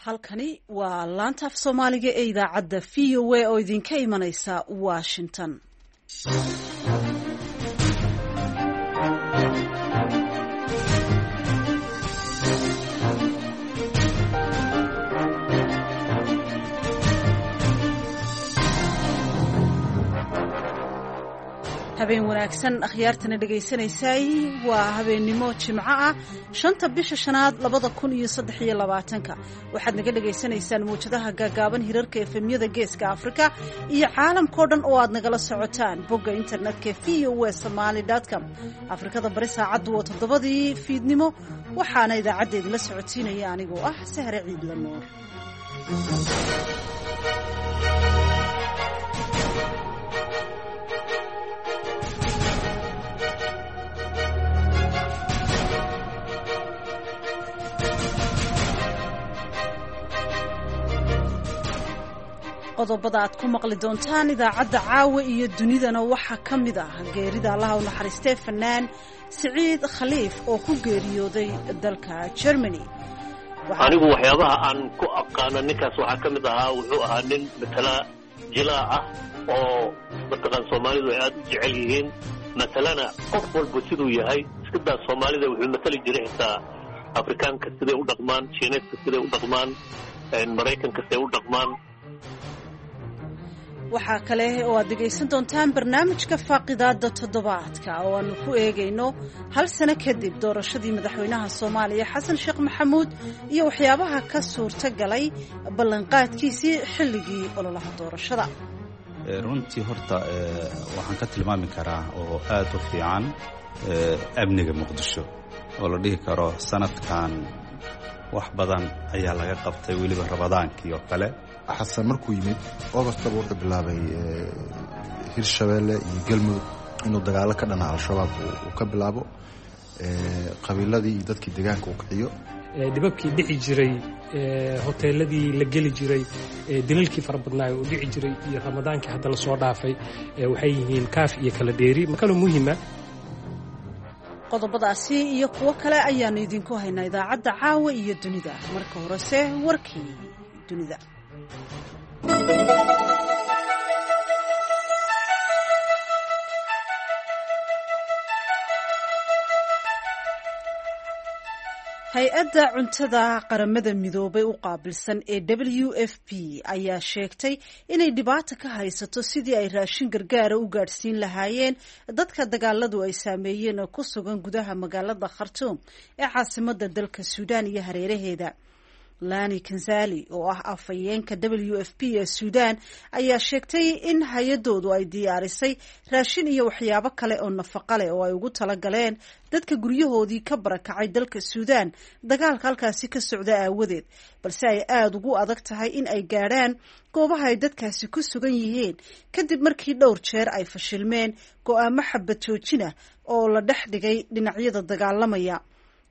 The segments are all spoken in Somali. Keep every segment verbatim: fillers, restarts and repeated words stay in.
Halkani waa laanta af Soomaaliga ee idaacadda V O A oo idinka imanaysa Washington. Habeen wanaagsan, akhyaartana dhegaysanaysaay. Waa habeennimo Jimco ah, shanta bisha shanaad labada kun iyo saddex iyo labaatanka. Waxaad naga dhagaysanaysaan mawjadaha gaagaaban, hirarka F M-yada Geeska Afrika iyo caalamkao dhan oo aad nagala socotaan bogga internetka V O A Somali com. Afrikada Bari saacaddu waa toddobadii fiidnimo, waxaana idaacadda idinla socodsiinaya anigoo ah Sahre Ciidla Nuur. Qodobada aad ku maqli doontaan idaacadda caawa iyo dunidana waxaa ka mid ah geerida Allaha u naxariistee fanaan Siciid Khaliif oo ku geeriyooday dalka Germany. Anigu waxyaabaha aan ku aqaano ninkaas waxaa ka mid ahaa, wuxuu ahaa nin matala jilaa ah oo mataqaan Soomaalidu ay aad u jecel yihiin. Matalana qof walba siduu yahay iska daa, Soomaalida wuxuu matali jiray xitaa Afrikaanka siday u dhaqmaan, Shiineedka siday u dhaqmaan, Maraykanka siday u dhaqmaan. Waxaa kale oo aad dhegaysan doontaan barnaamijka faaqidaada toddobaadka oo aanu ku eegayno hal sano kadib doorashadii madaxweynaha Soomaaliya Xasan Sheekh Maxamuud iyo waxyaabaha ka suurta galay ballanqaadkiisii xilligii ololaha doorashada. Runtii horta waxaan ka tilmaami karaa oo aad u fiican amniga Muqdisho oo la dhihi karo sanadkan wax badan ayaa laga qabtay, weliba Ramadaankii oo kale. Xasan markuu yimid Augustaba wuxuu bilaabay Hirshabeelle iyo Galmudug inuu dagaalo ka dhana Al-Shabaab uu ka bilaabo, qabiiladii iyo dadkii deegaanka uu kiciyo. Dhibabkii dhici jiray, hoteeladii la geli jiray, dilalkii fara badnaayo oo dhici jiray iyo Ramadaankii hadda lasoo dhaafay waxay yihiin kaaf iyo kala dheeri makaloo muhima. Qodobadaasi iyo kuwo kale ayaanu idinku haynaa idaacadda caawa iyo dunida. Marka horese warkii dunida. Hay-adda cuntada Qaramada Midoobay u qaabilsan ee W F P ayaa sheegtay inay dhibaato ka haysato sidii ay raashin gargaara u gaadhsiin lahaayeen dadka dagaaladu ay saameeyeen oo ku sugan gudaha magaalada Khartuum ee caasimada dalka Suudaan iyo hareeraheeda. Lani Kanzali oo ah afhayeenka W F P ee Suudaan ayaa sheegtay in hay-adoodu ay diyaarisay raashin iyo waxyaabo kale oo nafaqa leh oo ay ugu talagaleen dadka guryahoodii ka barakacay dalka Suudaan dagaalka halkaasi ka socda aawadeed, balse ay aada ugu adag tahay in ay gaadhaan goobaha ay dadkaasi ku sugan yihiin kadib markii dhowr jeer ay fashilmeen go'aamo xabad joojina oo la dhex dhigay dhinacyada dagaalamaya.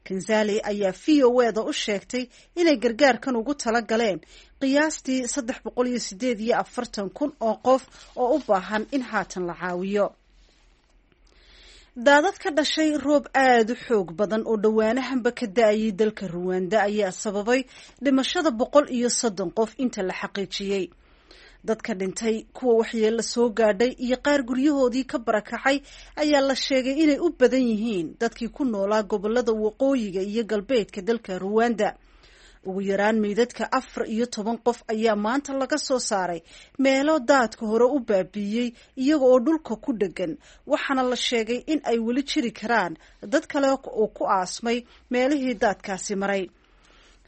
Kanzali ayaa V O A da u sheegtay inay gargaarkan ugu tala galeen qiyaastii saddex boqol iyo sideed iyo afartan kun oo qof oo u baahan in haatan la caawiyo. Daadad ka dhashay roob aada u xoog badan oo dhowaanahanba ka da-ayay dalka Ruwanda ayaa sababay dhimashada boqol iyo soddon qof inta la xaqiijiyey. Dadka dhintay, kuwa waxyeello soo gaadhay iyo qaar guryahoodii ka barakacay ayaa la sheegay inay u badan yihiin dadkii ku noolaa gobolada waqooyiga iyo galbeedka dalka Ruwanda. Ugu yaraan meydadka afar iyo toban qof ayaa maanta laga soo saaray meelo daadka hore u baabiiyey iyaga oo dhulka ku dhegan, waxaana la sheegay in ay weli jiri karaan dad kale oo ku aasmay meelihii daadkaasi maray.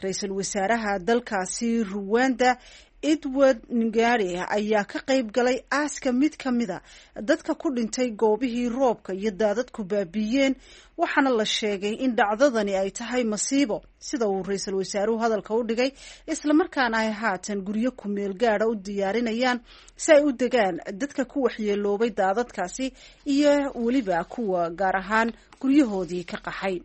Ra-iisul wasaaraha dalkaasi Ruwanda Edward Ngari ayaa ka qayb galay aaska mid ka mida dadka ku dhintay goobihii roobka iyo daadadku baabiiyeen, waxaana la sheegay in dhacdadani ay tahay masiibo, sida uu ra-iisul wasaaruhu hadalka u dhigay, islamarkaana ay haatan guryo kumeel gaada u diyaarinayaan si ay u degaan dadka ku waxyeeloobay daadadkaasi iyo weliba kuwa gaar ahaan guryahoodii ka qaxay.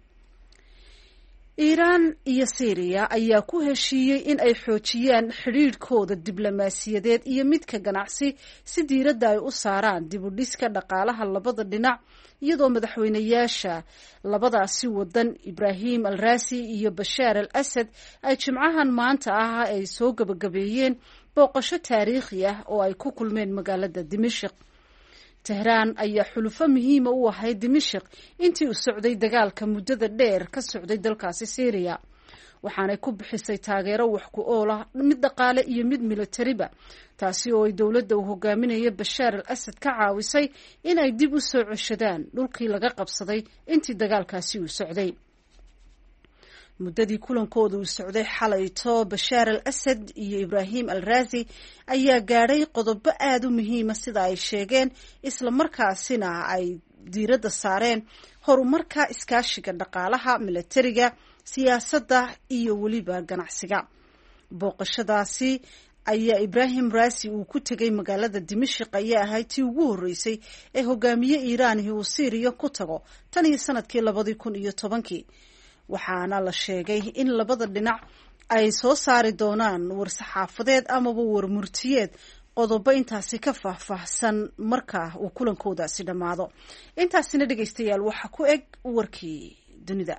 Iiraan iyo Syriya ayaa ku heshiiyey in ay xoojiyaan xidhiidhkooda diblomaasiyadeed iyo midka ganacsi si diiradda ay u saaraan dib u dhiska dhaqaalaha labada dhinac, iyadoo madaxweynayaasha labadaasi wadan Ibraahim al Raasi iyo Bashaar al Asad ay jimcahan maanta ah ay soo gabagabeeyeen booqasho taariikhi ah oo ay ku kulmeen magaalada Dimashq. Tehraan ayaa xulufo muhiima u ahayd Dimashq intii uu socday dagaalka muddada dheer ka socday dalkaasi Syriya, waxaanay ku bixisay taageero wax ku ool ah, mid dhaqaale iyo mid militariba, taasi oo ay dowladda uu hogaaminayo Bashaar al Asad ka caawisay in ay dib u soo ceshadaan dhulkii laga qabsaday intii dagaalkaasi uu socday. Muddadii kulankooda uu socday xalayto, Bashaar al Asad iyo Ibraahim al Raasi ayaa gaadhay qodobo aada u muhiima sida ay sheegeen, isla markaasina ay diiradda saareen horumarka iskaashiga dhaqaalaha, milatariga, siyaasadda iyo weliba ganacsiga. Booqashadaasi ayaa Ibraahim Raasi uu ku tegay magaalada Dimashq ayaa ahayd tii ugu horreysay ee hogaamiye Iiraanihi uu Siiriya ku tago tan iyo sanadkii labadii kun iyo tobankii, waxaana la sheegay in labada dhinac ay soo saari doonaan war-saxaafadeed amaba warmurtiyeed qodobo intaasi ka faahfaahsan marka uu kulankoodaasi dhammaado. Intaasina dhegaystayaal waxaa ku eg warkii dunida.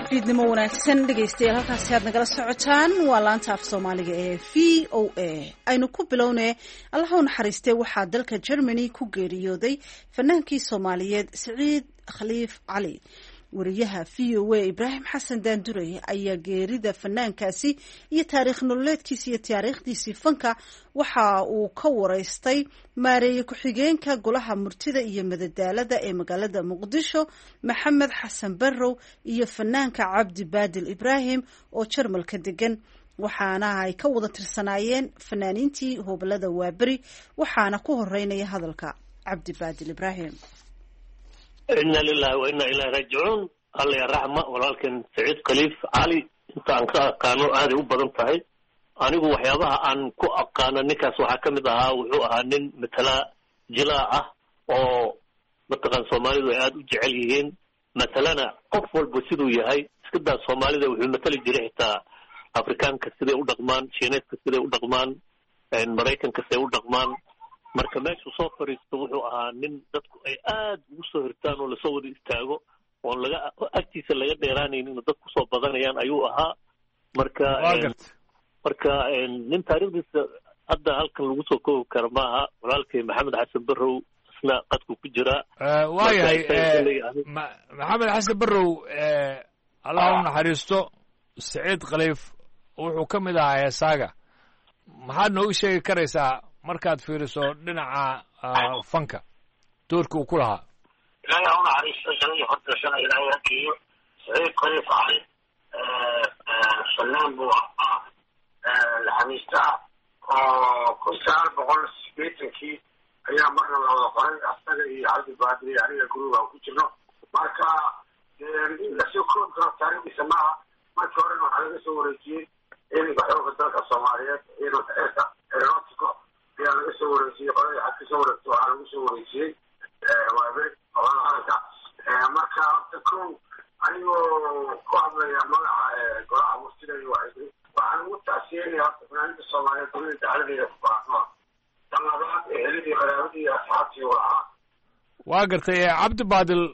Fiidnimo wanaagsan dhegaystayaal, halkaasi aad nagala socotaan waa laanta af Soomaaliga ee V O A. Aynu ku bilownay, Allaha u naxariistee, waxaa dalka Germany ku geeriyooday fanaankii Soomaaliyeed Siciid Khaliif Cali. Wariyaha V O A Ibraahim Xasan Daanduray ayaa geerida fanaankaasi iyo taariikh nololeedkiisi iyo taariikhdiisii fanka waxa uu ka wareystay maareeye ku-xigeenka golaha murtida iyo madadaalada ee magaalada Muqdisho Maxamed Xasan Barrow iyo fanaanka Cabdi Baadil Ibraahim oo Jarmalka degan, waxaana ay ka wada tirsanaayeen fanaaniintii hoobalada Waaberi. Waxaana ku horeynaya hadalka Cabdi Baadil Ibraahim. Inna lilahi wa inna ilahi raajicuun. Alla ya raxma walaalkan Saciid Khaliif Cali, inta aan ka aqaano aaday u badan tahay. Anigu waxyaabaha aan ku aqaano ninkaas waxaa ka mid ahaa, wuxuu ahaa nin matala jilaa ah oo mataqaan Soomaalidu ay aada u jecel yihiin, matalana qof walba siduu yahay iska daa Soomaalida, wuxuu matali jiray xitaa Afrikaanka siday u dhaqmaan, Shiineedka siday u dhaqmaan, Maraykanka siday u dhaqmaan. Marka meeshuu soo fariisto wuxuu ahaa nin dadku ay aada ugu soo hirtaan oo lasoo wada istaago oon laga agtiisa laga dheeraanaynin oo dad kusoo badanayaan ayuu ahaa. Marka marka nin taariikhdiisa hadda halkan lagu soo koobi kara maaha. Walaalkay Maxamed Xasan Barrow isna qadku ku jiraa. Waayahay, Maxamed Xasan Barrow, Allah u naxariisto, Saciid Khaliif wuxuu ka mid ahaa heesaaga. Maxaad noogu sheegi karaysaa markaad fiiriso dhinaca fanka doorka uu ku lahaa? Ilaahay ha u naxariisto, jannadii hordashana Ilaahay ha geeyo. Saciid Khaliif Cali fanaan buu ahaa laxamiista ah oo kun sagaal boqol sideetankii ayaa marna la wada qoray asaga iyo Cabdi Baadil iyo aniga guriga ku jirno. Marka in lasoo koobi karo taariikhdiisa maaha. Markii horena waxaa laga soo wareejiyey ciidanka xooga dalka Soomaaliyeed, ciidanka ceerka aeronautico ayaa laga soo wareejiyey. Qolada xag kasoo wareegto waxaa lagu soo wareejiyey Waaberi qolada qaranka. Marka horta kow, anigoo ku hadlaya magaca golaha murtida iyo wacyigelin, waxaan ugu taasiyeynaya horta fanaaniinta Soomaaliyeed dunida dacaladeeda ku baahnoa, tan labaad eheladii, qaraabadii iyo asxaabtii u lahaa. Waa gartay. Cabdi Baadil,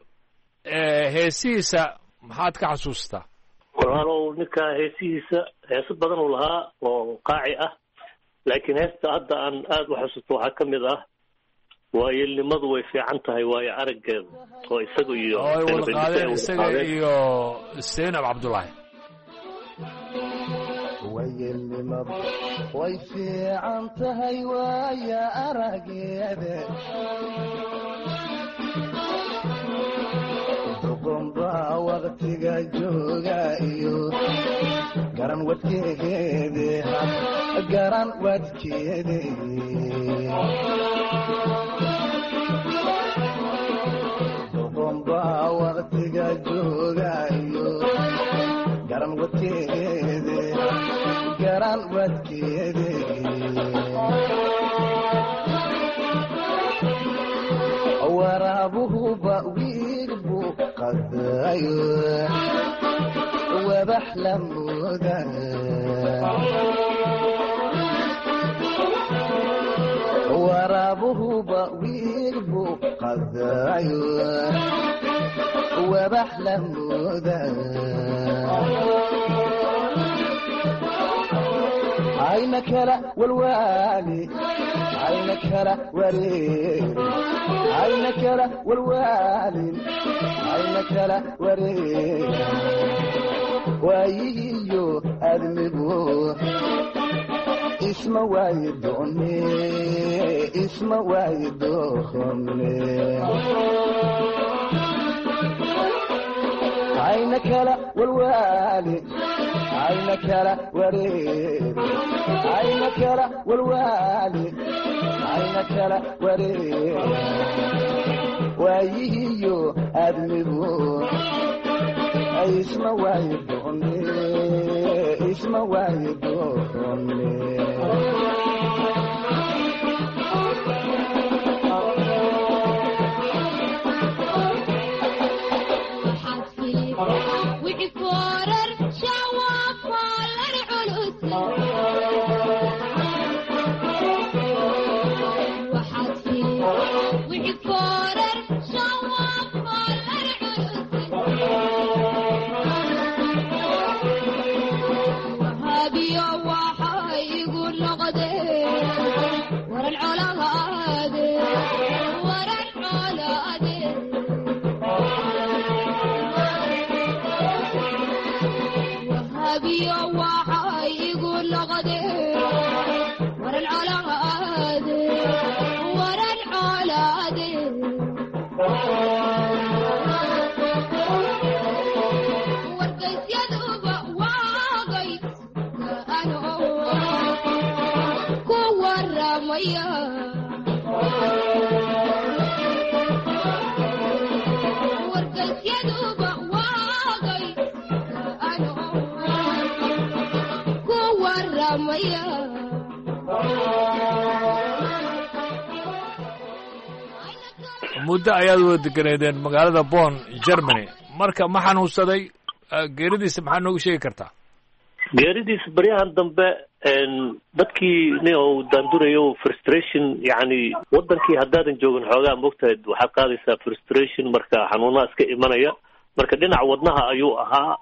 heesihiisa maxaad ka xasuustaa? Walaalow, ninka heesihiisa heeso badan uu lahaa oo qaaci ah, laakiin heesta hadda aan aada u xasuusto waxaa ka mid ah Waayeelnimadu way fiican tahay waayo araggeeda, oo isaga iyo oo ay wada qaadeen isaga iyo Zaynab Cabdullaahi. Waayeelnimadu way fiican tahay waaya araggeeda, doqonbaa waqtiga jooga iyo garan wadkeede, garan wadkeede. Doqonbaa waqtiga jooga wadkeede garan wadkeede waraabuhuba wiil buu qadayo wabax la mooda waraabuhuba wiil buu qadayo wabax la mooda ayna kala walwaali ayna kala wareeri ayna kala walwaalin ayna kala wareeri waayihiyo admigu isma waayi doone isma waayi doone ayna kala walwaali ayna kala wareeri ayna kala walwaali ayna kala wareeri waayihiyo admigu isma waayi doone isma waayi doone. Muddo ayaad wada deganeedeen magaalada Bonn, Germany. Marka ma xanuunsaday? Geeridiisa maxaa noogu sheegi kartaa? Geeridiisa baryahan dambe dadkii nin uu daandurayo frustration, yacni wadankii haddaadan joogin xoogaa moogtahay waxaad qaadaysaa frustration, marka xanuunaha iska imanaya. Marka dhinaca wadnaha ayuu ahaa,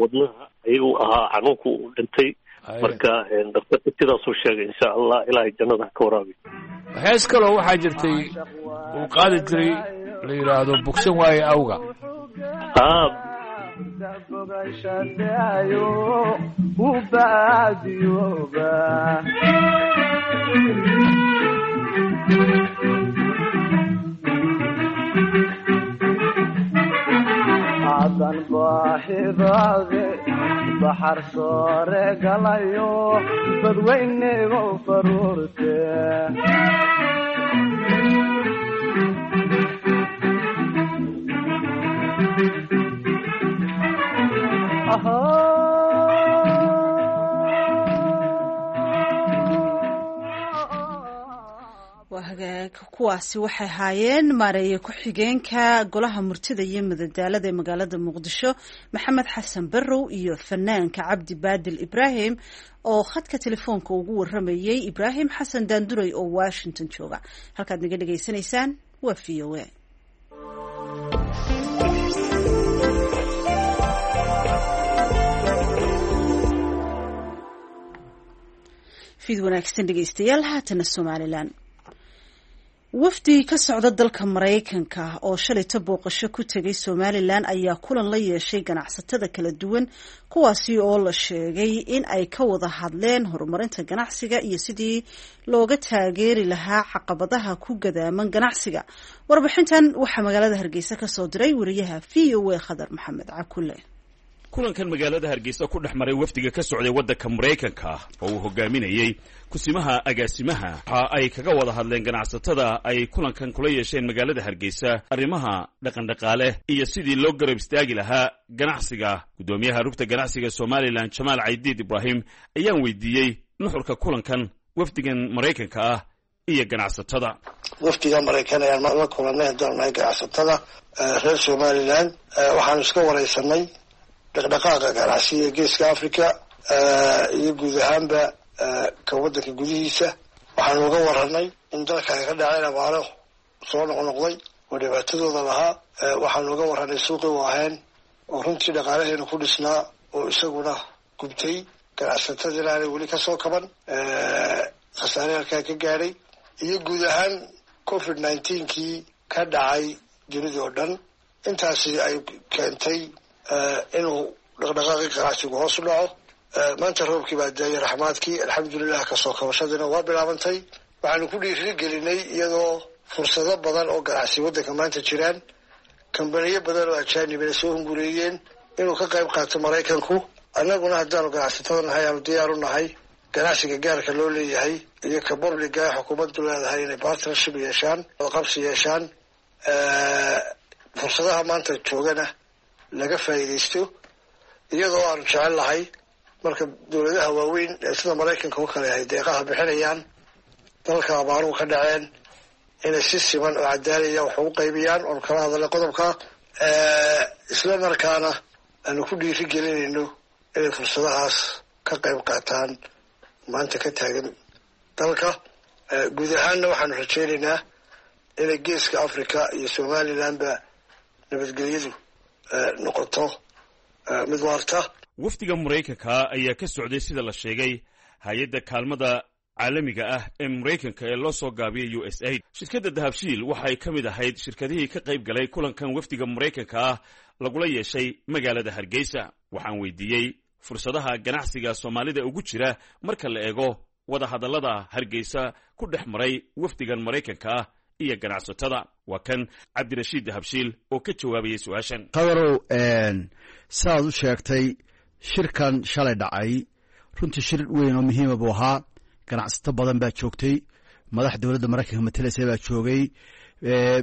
wadnaha ayuu ahaa xanuunku uu dhintay. Marka daktarka sidaasuu sheegay, insha Allah ilaahay jannada ha ka waraabiyo. Hees kaloo waxaa jirtay uu qaadi jiray la yidhaahdo bogsan waaye awga. Adan baahidaade baxar soore galayo badweynego faruurte Waa hagaag, kuwaasi waxay ahaayeen maareeye ku-xigeenka golaha murtida iyo madadaalada ee magaalada Muqdisho Maxamed Xasan Barrow iyo fanaanka Cabdi Baadil Ibraahim oo khadka telefoonka ugu waramayey Ibraahim Xasan Daanduray oo Washington jooga. Halkaad naga dhegaysanaysaan waa V O A. Fiid wanaagsan dhegeystayaal. Haatana Somalilan. Wafdi ka socda dalka Maraykanka oo shalayto booqasho ku tegay Somalilan ayaa kulan la yeeshay ganacsatada kala duwan, kuwaasi oo la sheegay in ay ka wada hadleen horumarinta ganacsiga iyo sidii looga taageeri lahaa caqabadaha ku gadaaman ganacsiga. Warbixintan waxaa magaalada Hargeysa ka soo diray wariyaha V O A Khadar Maxamed Cakule. Kulankan magaalada Hargeysa ku dhex maray wafdiga ka socday waddanka Maraykanka oo uu hogaaminayey kusimaha agaasimaha, waxa ay kaga wada hadleen ganacsatada ay kulankan kula yeesheen magaalada Hargeysa arrimaha dhaqandhaqaale iyo sidii loo garab istaagi lahaa ganacsiga. Guddoomiyaha rugta ganacsiga Somalilan, Jamaal Caydiid Ibraahim, ayaan weydiiyey nuxurka kulankan wafdigan Maraykanka ah iyo ganacsatada. Wafdiga Maraykan ayaan la kulanay haddaan nahay ganacsatada reer Somalilan. Waxaanu iska wareysanay dhaqdhaqaaqa ganacsiga Geeska Africa iyo guud ahaanba ka waddanka gudihiisa. Waxaanu uga waranay in dalka ay ka dhaceen abaaro soo noqnoqday oo dhibaatadooda lahaa. Waxaanu uga waranay suuqii waaheen oo runtii dhaqaalaheenu ku dhisnaa oo isaguna gubtay, ganacsatadiina aanay weli kasoo kaban khasaare halkaa ka gaadhay, iyo guud ahaan covid nineteenkii ka dhacay dunida oo dhan. Intaasi ay keentay inuu dhaqdhaqaaqii ganacsigu hoos u dhaco. Maanta roobkii baa daayay raxmaadkii, alxamdulilah, kasoo kabashadiina waa bilaabantay. Waxaanu ku dhiirigelinay iyadoo fursado badan oo ganacsi waddanka maanta jiraan, kambaniyo badan oo ajaanibina soo hungureeyeen inuu ka qayb qaato Maraykanku. Annaguna haddaanu ganacsatada nahay aanu diyaar u nahay ganacsiga gaarka loo leeyahay iyo ka publiga xukuumaddu leedahay inay partnership yeeshaan, qabsi yeeshaan, fursadaha maanta joogana laga faa'iidaysto, iyadoo aanu jecel lahay marka dowladaha waaweyn ee sida Maraykanka oo kale ay deeqaha bixinayaan dalka abaaruhu ka dhaceen inay si siman oo cadaalaya wax ugu qaybiyaan, oonu kala hadalnay qodobka, isla markaana aanu ku dhiiri gelinayno inay fursadahaas ka qayb qaataan maanta ka taagan dalka. Guud ahaanna waxaanu rajaynaynaa inay Geeska Africa iyo Somalilandba nabadgelyadu noqoto mid waarta. Wafdiga Maraykanka ayaa ka socday, sida la sheegay, hay-adda kaalmada caalamiga ah ee Maraykanka ee loo soo gaabiyay U S aid. Shirkadda Dahabshiil waxay ka mid ahayd shirkadihii ka qayb galay kulankan wafdiga Maraykanka ah lagula yeeshay magaalada Hargeysa. Waxaan weydiiyey fursadaha ganacsiga Soomaalida ugu jira marka la eego wadahadallada Hargeysa ku dhex maray wafdigan Maraykanka ah iyo ganacsatada. Waa kan Cabdirashiid Dahabshiil oo ka jawaabayay su-aashan. Qadarow, sidaad u sheegtay, shirkan shalay dhacay runtii shir weyn oo muhiima buu ahaa. Ganacsato badan baa joogtay, madax dowladda Maraykanka matalaysa baa joogay.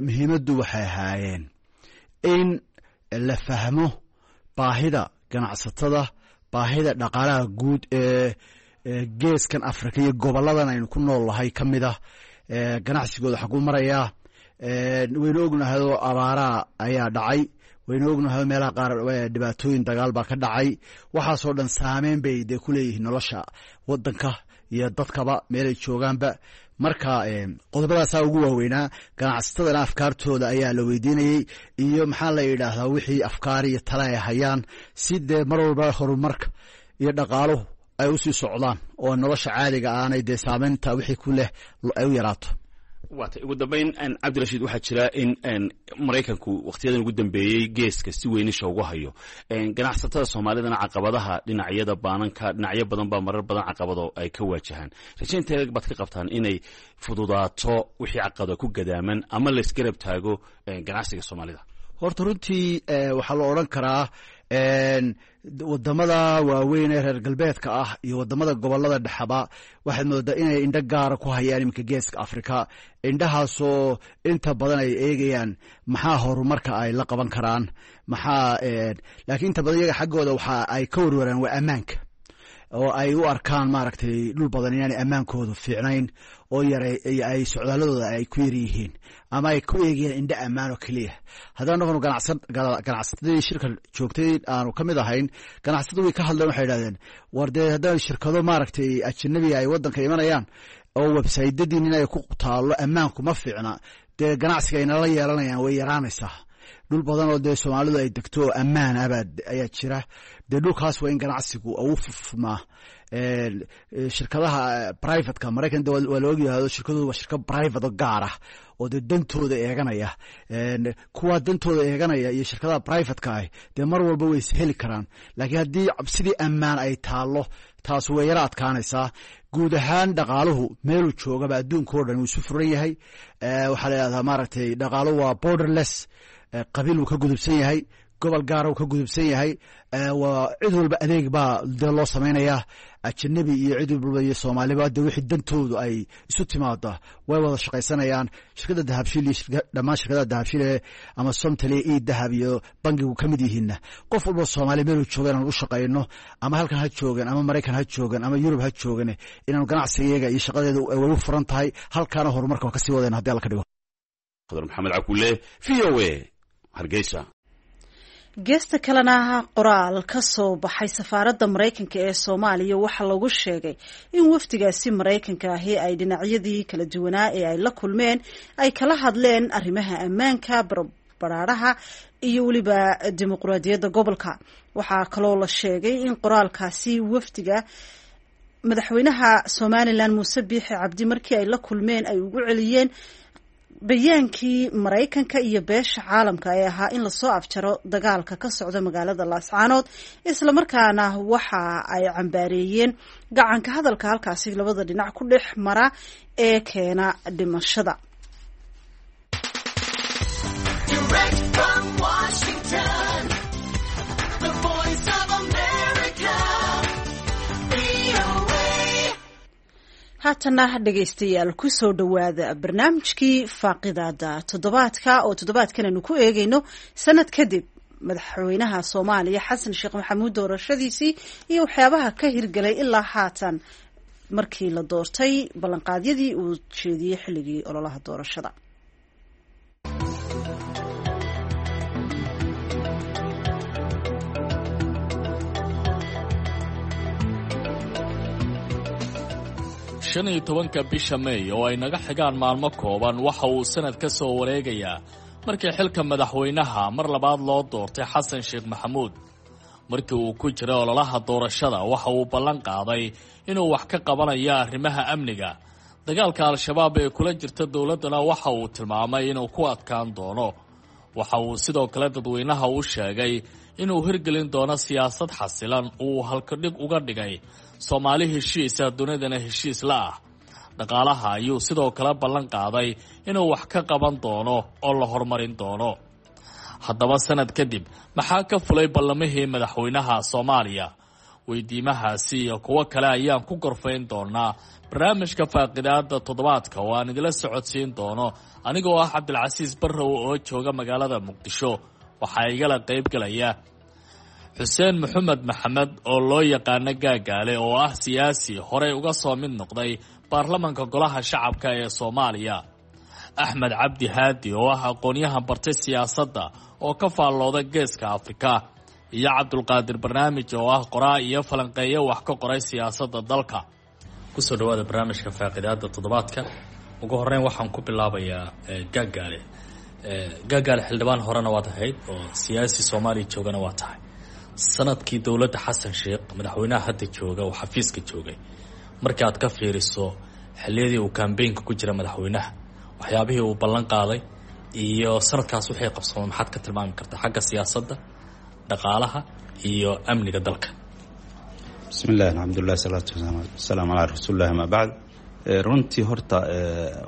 Muhiimaddu waxay ahaayeen in la fahmo baahida ganacsatada, baahida dhaqaalaha guud ee geeskan Afrika iyo goboladan aynu ku nool nahay ka mid ah, ganacsigooda xaguu marayaa. Waynu ognahayoo abaaraha ayaa dhacay, waynu ognahay meelaha qaar dhibaatooyin dagaal baa ka dhacay. Waxaasoo dhan saameyn bay dee ku leeyihiin nolosha wadanka iyo dadkaba meelay joogaanba. Marka qodobadaasaa ugu waaweynaa. Ganacsatadana afkaartooda ayaa la weydiinayey iyo maxaa la yidhaahdaa wixii afkaar iyo tale ay hayaan, si dee mar walba horumarka iyo dhaqaaluhu ay usii socdaan oo nolosha caadiga aanay dee saameynta wixii ku leh ay u yaraato. Waatay. Ugu dambeyn, Cabdirashiid, waxaa jira in Maraykanku wakhtiyadan ugu dambeeyey geeska si weynisha ugu hayo ganacsatada Soomaalidana, caqabadaha dhinacyada baananka, dhinacyo badan baa marar badan caqabado ay ka waajahaan. Rajaynteeda baad ka qabtaan inay fududaato wixii caqabada ku gadaaman ama laysgarab taago ganacsiga Soomaalida? Horta runtii waxaa la odhan karaa wadamada waaweyn ee reer galbeedka ah iyo wadamada gobolada dhexaba waxaad moodaa inay indho gaara ku hayaan iminka Geeska Afrika, indhahaasoo inta badan ay eegayaan maxaa horumarka ay la qaban karaan, maxaa. Laakiin inta badan iyaga xaggooda waxa ay ka warwaraan waa ammaanka, oo ay u arkaan maaragtay dhul badan inaanay ammaankoodu fiicnayn oo yara ay socdaaladooda ay ku yar yihiin ama ay ku eegayaan indho ammaan oo keliya. Haddaan noqono ganacsatadii shirka joogtay aanu ka mid ahayn, ganacsatadu way ka hadleen. Waxay idhahdeen, war dee haddaan shirkado maaragtay ajanabiga ay waddanka imanayaan oo websaytadiin inay ku taallo ammaanku ma fiicna, dee ganacsiga ay nala yeelanayaan way yaraanaysaa. Dhul badan oo dee Soomaalidu ay degto oo ammaan abaa ayaa jira. Dee dhulkaas waa in ganacsigu uu fufmaa. Shirkadaha privateka Maraykan waa la ogyahay, shirkadoodu waa shirkad private oo gaar ah oo dee dantooda eeganaya. Kuwaa dantooda eeganaya iyo shirkadaha privateka ah dee mar walba way is heli karaan, laakiin haddii cabsidii ammaan ay taallo, taas way yaro adkaanaysaa. Guud ahaan dhaqaaluhu meeluu joogaba adduunka o dhan wuu isu furan yahay. Waxaa la yidhahdaa maaragtay dhaqaaluhu waa borderless, qabiil wuu ka gudubsan yahay, Gobol gaara uu ka gudubsan yahay. Waa cid walba adeeg baa dee loo samaynayaa, ajanabi iyo cid walba iyo soomaaliba, dee wixii dantoodu ay isu timaada way wada shaqaysanayaan. Shirkadda Dahabshiil iyo dhammaan shirkadaha Dahabshiil ee ama Somtel iyo Dahab iyo bangigu ka mid yihiinna, qof walba Soomaaliya meeluu jooga inaan u shaqayno, ama halkan ha joogan ama Maraykan ha joogan ama Yurub ha joogan, inaanu ganacsigeega iyo shaqadeeda way u furan tahay. Halkaana horumarka waa kasii wadayna hadii Alla ka dhigo. Khadar Maxamed Cakuule, V O A, Hargeysa. Geesta kalena, qoraal ka soo baxay safaaradda Maraykanka ee Soomaaliya waxaa lagu sheegay in wafdigaasi Maraykanka ahi ay dhinacyadii kala duwanaa ee ay la kulmeen ay kala hadleen arrimaha ammaanka, baraaraha iyo weliba dimuqraadiyadda gobolka. Waxaa kaloo la sheegay in qoraalkaasi wafdiga madaxweynaha Somaliland Muuse Biixi Cabdi markii ay la kulmeen ay ugu celiyeen bayaankii Maraykanka iyo beesha caalamka ee ahaa in lasoo afjaro dagaalka ka socda magaalada Laascaanood, islamarkaana waxa ay cambaareeyeen gacanka hadalka halkaasi labada dhinac ku dhex mara ee keena dhimashada. Direct from Washington, the Voice of America, V O A. Haatana dhegaystayaal, kusoo dhowaada barnaamijkii faaqidaada toddobaadka, oo toddobaadkan aynu ku eegayno sanad kadib madaxweynaha Soomaaliya Xasan Sheekh Maxamuud doorashadiisii iyo waxyaabaha ka hirgelay ilaa haatan markii la doortay, ballanqaadyadii uu jeediyey xilligii ololaha doorashada. Shan iyo tobanka bisha Meey oo ay naga xigaan maalmo kooban waxa uu sanad ka soo wareegayaa markii xilka madaxweynaha mar labaad loo doortay Xasan Sheekh Maxamuud. Markii uu ku jiray ololaha doorashada waxa uu ballan qaaday inuu wax ka qabanayo arrimaha amniga. Dagaalka Al-Shabaab ee kula jirta dowladdana waxa uu tilmaamay inuu ku adkaan doono. Waxa uu sidoo kale dadweynaha u sheegay inuu hirgelin doono siyaasad xasilan uu halkadhig uga dhigay Soomaali heshiisa, dunidana heshiis la ah. Dhaqaalaha ayuu sidoo kale ballan qaaday inuu wax ka qaban doono oo la horumarin doono. Haddaba sanad kadib maxaa ka fulay ballamihii madaxweynaha Soomaaliya? Weydiimahaasi iyo kuwo kale ayaan ku gorfayn doonaa barnaamijka faaqidaada toddobaadka, oo aan idila socodsiin doono anigoo ah Cabdilcasiis Barrow oo jooga magaalada Muqdisho. Waxaa igala qaybgalaya Xuseen Maxamed Maxamed oo loo yaqaano Gaagaale, oo ah siyaasi horey uga soo mid noqday baarlamanka Golaha Shacabka ee Soomaaliya, Axmed Cabdi Haadi oo ah aqoon-yahan bartay siyaasadda oo ka faallooda Geeska Afrika, iyo Cabdulqaadir Barnaamij oo ah qoraa iyo falanqeeyo wax ka qoray siyaasadda dalka. Kusoo dhawaada barnaamijka faaqidaada toddobaadka. Ugu horeyn waxaan ku bilaabayaa Gaagaale. Gaagaale, xildhibaan horena waad ahayd oo siyaasi Soomaaliya joogana waa tahay. Sanadkii dowladda Xasan Sheekh, madaxweynaha hadda jooga oo xafiiska joogay, markii aad ka fiiriso xilliyadii uu kambeynka ku jira madaxweynaha, waxyaabihii uu ballan qaaday iyo sanadkaas waxay qabsoomay, maxaad ka tilmaami kartaa xagga siyaasadda, dhaqaalaha iyo amniga dalka? Bismi illahi, alxamdulilah, salaatu wasalaamu calaa rasuulillahi, amaa bacd. Runtii horta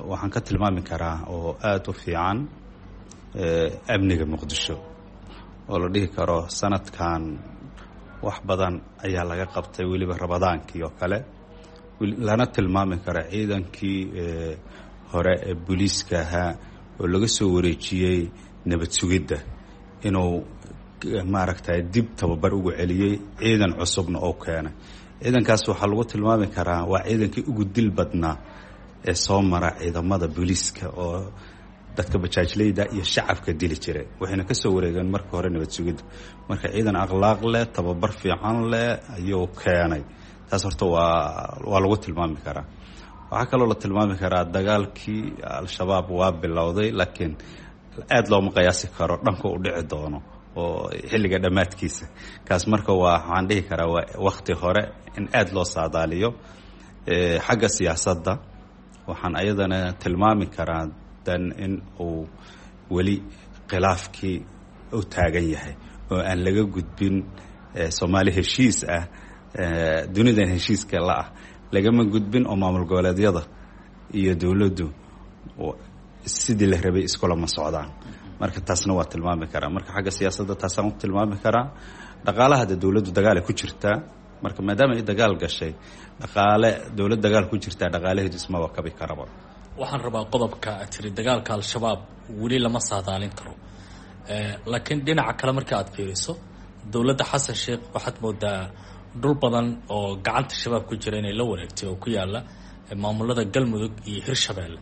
waxaan ka tilmaami karaa oo aada u fiican amniga Muqdisho, oo la dhihi karo sanadkan wax badan ayaa laga qabtay, weliba Ramadaankii oo kale, lana tilmaami karo ciidankii hore ee booliiska ahaa oo laga soo wareejiyey nabad sugidda inuu maaragtay dib tababar ugu celiyey, ciidan cusubna oo keenay. Ciidankaas waxaa lagu tilmaami karaa waa ciidankii ugu dil badnaa ee soo mara ciidamada booliiska, oo dadka bajaajleyda iyo shacabka dili jiray, waxayna ka soo wareegeen marka hore nabad sugidda. Marka ciidan akhlaaq leh, tababar fiican leh ayuu keenay. Taas horta waa waa lagu tilmaami karaa. Waxaa kaloo la tilmaami karaa dagaalkii Al-Shabaab waa bilowday, laakiin aada looma qiyaasi karo dhanka u dhici doono oo xilliga dhammaadkiisa. Kaas marka waa waxaan dhihi karaa waa wakti hore in aada loo saadaaliyo. Xagga siyaasadda waxaan ayadana tilmaami karaa dan in uu weli khilaafkii u taagan yahay oo aan laga gudbin. Soomaali heshiis ah, dunidan heshiiska la ah, lagama gudbin oo maamul goboleedyada iyo dowladdu sidii la rabay iskulama socdaan. Marka taasna waa tilmaami karaa. Marka xagga siyaasadda taasaan u tilmaami karaa. Dhaqaalaha de dowladdu dagaal ay ku jirtaa. Marka maadaama ay dagaal gashay, dhaqaale dowlad dagaal ku jirtaa dhaqaalaheedu ismaba kabi karaba. Waxaan rabaa qodobka aad tiri dagaalka Al-Shabaab weli lama saadaalin karo, laakiin dhinaca kale marka aad fiiriso dowladda Xasan Sheekh waxaad moodaa dhul badan oo gacanta shabaab ku jira inay la wareegtay oo ku yaala maamulada Galmudug iyo Hirshabeelle.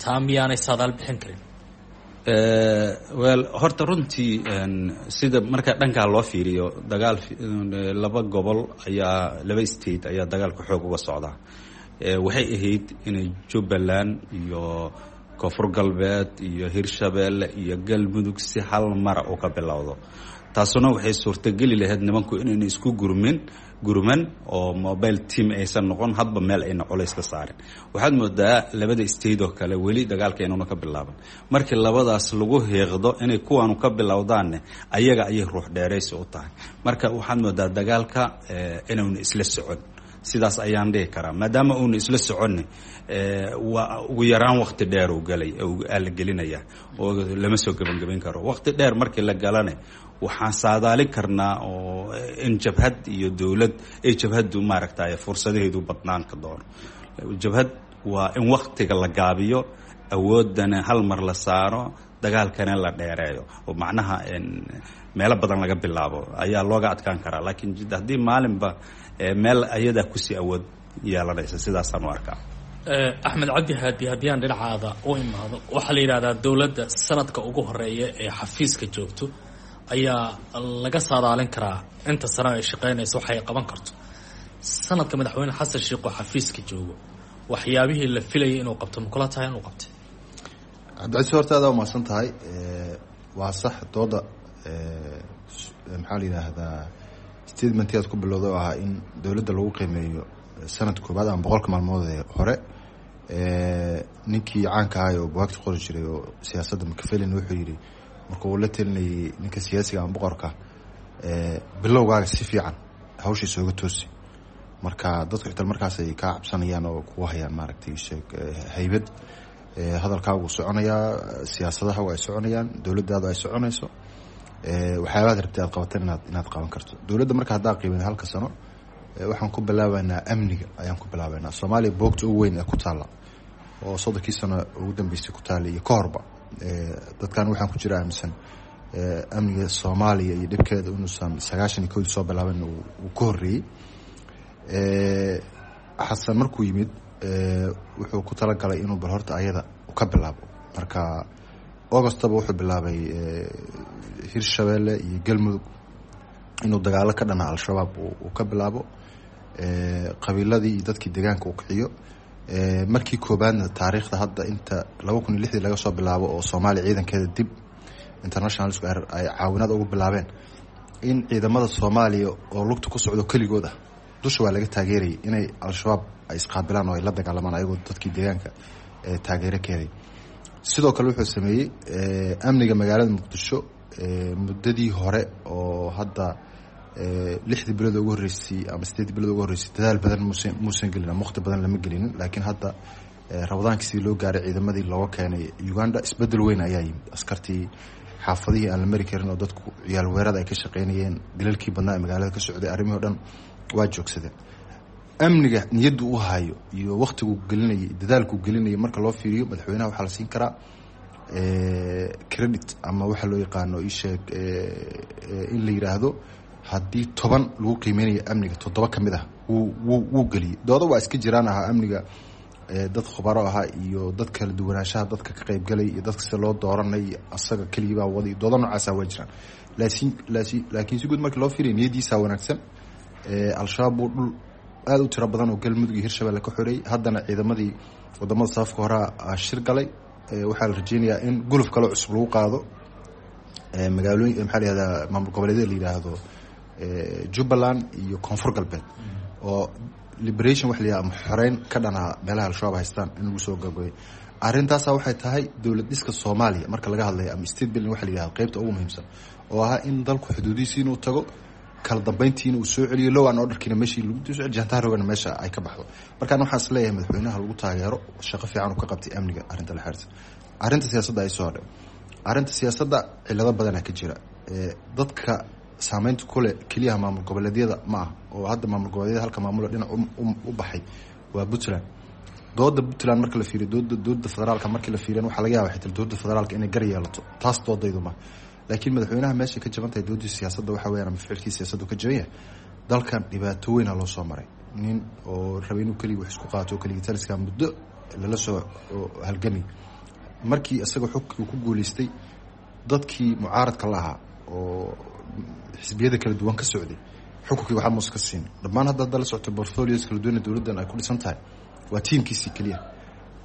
Taa miyaanay saadaal bixin karin? Well, horta runtii sida marka dhankaa loo fiiriyo, dagaal laba gobol ayaa, laba state ayaa dagaalka xoog uga socdaa. Waxay ahayd inay Jubbaland iyo Koonfur Galbeed iyo Hirshabeelle iyo Galmudug si hal mara u ka bilowdo. Taasuna waxay suurtageli lahayd nimanku inayna isku gurmin gurman oo mobile team aysan noqon, hadba meel ayna culays ka saarin. Waxaad moodaa labada state oo kale weli dagaalka inuuna ka bilaaban. Markii labadaas lagu heeqdo inay kuwaanu ka bilowdaanne, ayaga ayay ruux dheeraysi u tahay. Marka waxaad moodaa dagaalka inuuna isla socon, sidaas ayaan dhihi karaa. Maadaama uuna isla soconni, waa ugu yaraan wakti dheer uu galay aa la gelinaya oo lama soo gebangebayn karo. Wakti dheer markii la galane, waxaan saadaalin karnaa oo in jabhad iyo dowlad ay jabhaddu maaragtay fursadaheedu badnaan ka doono. Jabhad waa in waktiga la gaabiyo, awoodana hal mar la saaro, dagaalkana la dheereeyo oo macnaha meelo badan laga bilaabo ayaa looga adkaan karaa. Laakiin haddii maalinba meel ayadaa kusii awood yeelanaysa, sidaasaan u arkaa. Axmed Cabdi Haadi, haddii aan dhinacaada u imaado, waxaa la yidhahdaa dowladda sanadka ugu horeeya ee xafiiska joogto ayaa laga saadaalin karaa inta sano ay shaqeynayso waxay qaban karto. Sanadka madaxweyne Xasan Sheekh oo xafiiska joogo, waxyaabihii la filayay inuu qabto ma kula tahay inuu qabtay? Cabdicasiis, horta adaa umahadsan tahay. Waa sax dooda, maxaa la yidhaahdaa, statementii aad ku bilowday oo ahaa in dowladda lagu qiimeeyo sanad koobaad ama boqolka maalmood ee hore. Ninkii caanka ahay oo buwaagta qori jiray oo siyaasadda, Machiavelli, wuxuu yidhi marka uu la telinayay ninka siyaasiga ama boqorka, bilowgaaga si fiican hawsha isooga toosi, marka dadku xitaa markaas ay kaa cabsanayaan oo kugu hayaan, maaragtay, sheeg haybad, hadalkaagu soconayaa, siyaasadaha ay soconayaan, dowladdaadu ay soconayso, waxyaabaad rabtay aad qabatan inaad inaad qaban karto. Dowladda marka haddaa qiimeyn halka sano, waxaan ku bilaabaynaa amniga ayaan ku bilaabaynaa. Soomaaliya boogta ugu weyn ee ku taalla oo soddonkii sano ugu dambeysay ku taalla iyo ka horba, dadkan waxaan ku jira aaminsan amniga Soomaaliya iyo dhibkeeda inuusan sagaashan iyo kowdii soo bilaaban, uu ka horreeyey. Xasan markuu yimid wuxuu ku talagalay inuu bal horta ayada ka bilaabo. Marka Augustaba wuxuu bilaabay Hirshabeelle iyo Galmudug inuu dagaalo ka dhana Al-Shabaab uu ka bilaabo, qabiiladii iyo dadkii deegaanka uu kiciyo. Markii koobaadna taariikhda hadda inta laba kun iyo lixdii laga soo bilaabo oo Soomaaliya ciidankeeda dib internationalsku ay caawinaad ugu bilaabeen, in ciidamada Soomaaliya oo lugta ku socdo keligood ah, dusha waa laga taageerayay, inay Al-Shabaab ay isqaabilaan oo ay la dagaalamaan ayagoo dadkii deegaanka taageero ka helay. Sidoo kale wuxuu sameeyey amniga magaalada Muqdisho. Muddadii hore oo hadda lixdii bilood ugu horreysay ama sideedii bilood ugu horreysay dadaal badan muusan muusan gelin ama waqti badan lama gelinin, laakiin hadda Ramadaankii sidii loo gaaray ciidamadii looga keenay Uganda, isbedel weyn ayaa yimid. Askartii xaafadihii aan la mari karin oo dadku ciyaal weerada ay ka shaqeynayeen, dilalkii badnaa ee magaalada ka socday, arrimihii o dhan waa joogsadeen. Amniga niyaddu u hayo iyo waktiguu gelinayay, dadaalkuu gelinayay marka loo fiiriyo, madaxweynaha waxaa la siin karaa credit ama waxa loo yaqaano isheeg in la yidhaahdo haddii toban lagu qiimeynayo amniga, toddoba ka mid ah wuu wuu wuu geliyey. Dooda waa iska jiraan ahaa amniga, dad khubaro ahaa iyo dad kala duwanaanshaha dadka ka qaybgalay iyo dadka sida loo dooranay, asaga keligii baa waday, dooda noocaasa waa jiraan. Laakiin laakiin laakiin si guud markii loo fiiriyo niyadiisa wanaagsan. Al-Shabaab buu dhul aada u tiro badan oo Galmudug iyo Hirshabelle ka xoreeyey. Haddana ciidamadii wadamada safka horaa shir galay. Waxaa la rajeynayaa in guluf kale cusub lagu qaado magaalooyin, maxaa la yihahdaa, maamul goboleedyada la yidhaahdo Jubbaland iyo Koonfur Galbeed, oo liberation waxa la yihahdo ama xoreyn ka dhanaa meelaha Al-Shabaab haystaan in lagu soo gabagabay. Arrintaasa waxay tahay dowlad dhiska Soomaaliya marka laga hadlayo ama state building waxa la yihahdo qeybta ugu muhiimsan oo ahaa in dalku xuduudihiisi inuu tago, kala dambeyntiina uu soo celiyo, law and orderkiina meeshii lagu soo celiyo, jantaarogana meesha ay ka baxdo. Markaan waxaan is leeyahay madaxweynaha lagu taageero shaqo fiican uu ka qabtay amniga. Arrinta la xiriirta arrinta siyaasadda ay soo hadhay, Arrinta siyaasadda cilado badanaa ka jira. Dadka saameynta kule keliyaha maamul goboleedyada ma ah, oo hadda maamul goboleedyada halka maamula dhinac u baxay waa Puntland. Dooda Puntland marka la fiiriyo, dooda dowladda federaalka markii la fiiriyan, waxaa laga yaaba xitaa dowladda federaalka inay gar yeelato. Taas doodaydu ma, laakiin madaxweynaha meesha ka jaban tahay doodii siyaasadda waxa weyaan, ama ficilkii siyaasaddu ka jaban yahay. Dalkan dhibaato weyna loo soo maray, nin oo rabay inuu keligii wax isku qaato oo keligii taliska muddo lala soo halgamay. Markii isaga xogkii ku guuleystay, dadkii mucaaradka la ahaa oo xisbiyada kala duwan ka socday xukunkii waxaa muus ka siin dhammaan. Hadda hadda la socto portfolios kala duwan dowladdan ay ku dhisan tahay waa tiimkiisii keliya.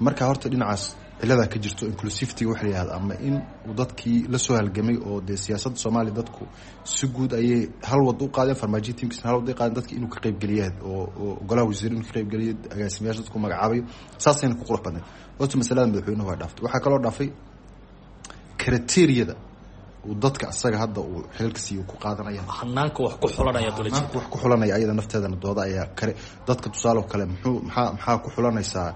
Marka horta dhinacaas ciladaa ka jirto, inclusivity waxa la yihahda, ama in uu dadkii la soo halgamay oo dee siyaasadda Soomaaliya dadku si guud ayay hal wad u qaadeen, Farmaajiya tiimkiisna hal wad ay qaadeen, dadki inuu ka qaybgeliya oo oo golaha wasiir inuu ka qaybgeliyo, agaasimayaasha dadku magacaabayo, saasayna ku qurux badnayd. Horta masalada madaxweynuhu waa dhaaftay. Waxaa kaloo dhaafay criteria-da uu dadka asaga hadda uu xilalka siiyo ku qaadanaya, hanaanka wax ku xulanaya. Hanaanka wax ku xulanaya ayada nafteedana dooda ayaa kare. Dadka tusaale kale, muxuu maxaa maxaa ku xulanaysaa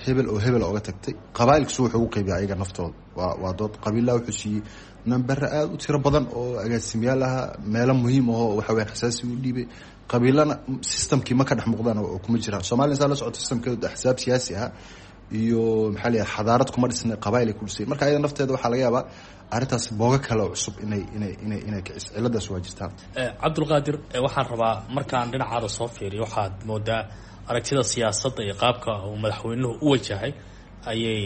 hebel oo hebel oga tagtay? Qabaa'ilkiisu wuxuu ugu qaybiya ayaga naftooda waa waa dood. Qabiillaha wuxuu siiyey nambere aada u tiro badan oo agaasimayaal ahaa, meelo muhiim ahoo waxa weyaan xasaasi u dhiibay. Qabiilana systemkii ma ka dhex muuqdaan oo kuma jiraan. Soomaliya saa la socoto systemkeedu axsaab siyaasi ah iyo maxaa la yidhaha xadaarad kuma dhisna, qabaa'il ay ku dhisay. Marka ayada nafteeda waxaa laga yaabaa arrintaas boogo kale oo cusub inay inay inay inay kiciso. Ciladaas waa jirtaa. Cabdulqaadir, waxaan rabaa markaan dhinacaada soo fiiriyo, waxaad moodaa aragtida siyaasadda iyo qaabka uu madaxweynuhu u wajahay ayay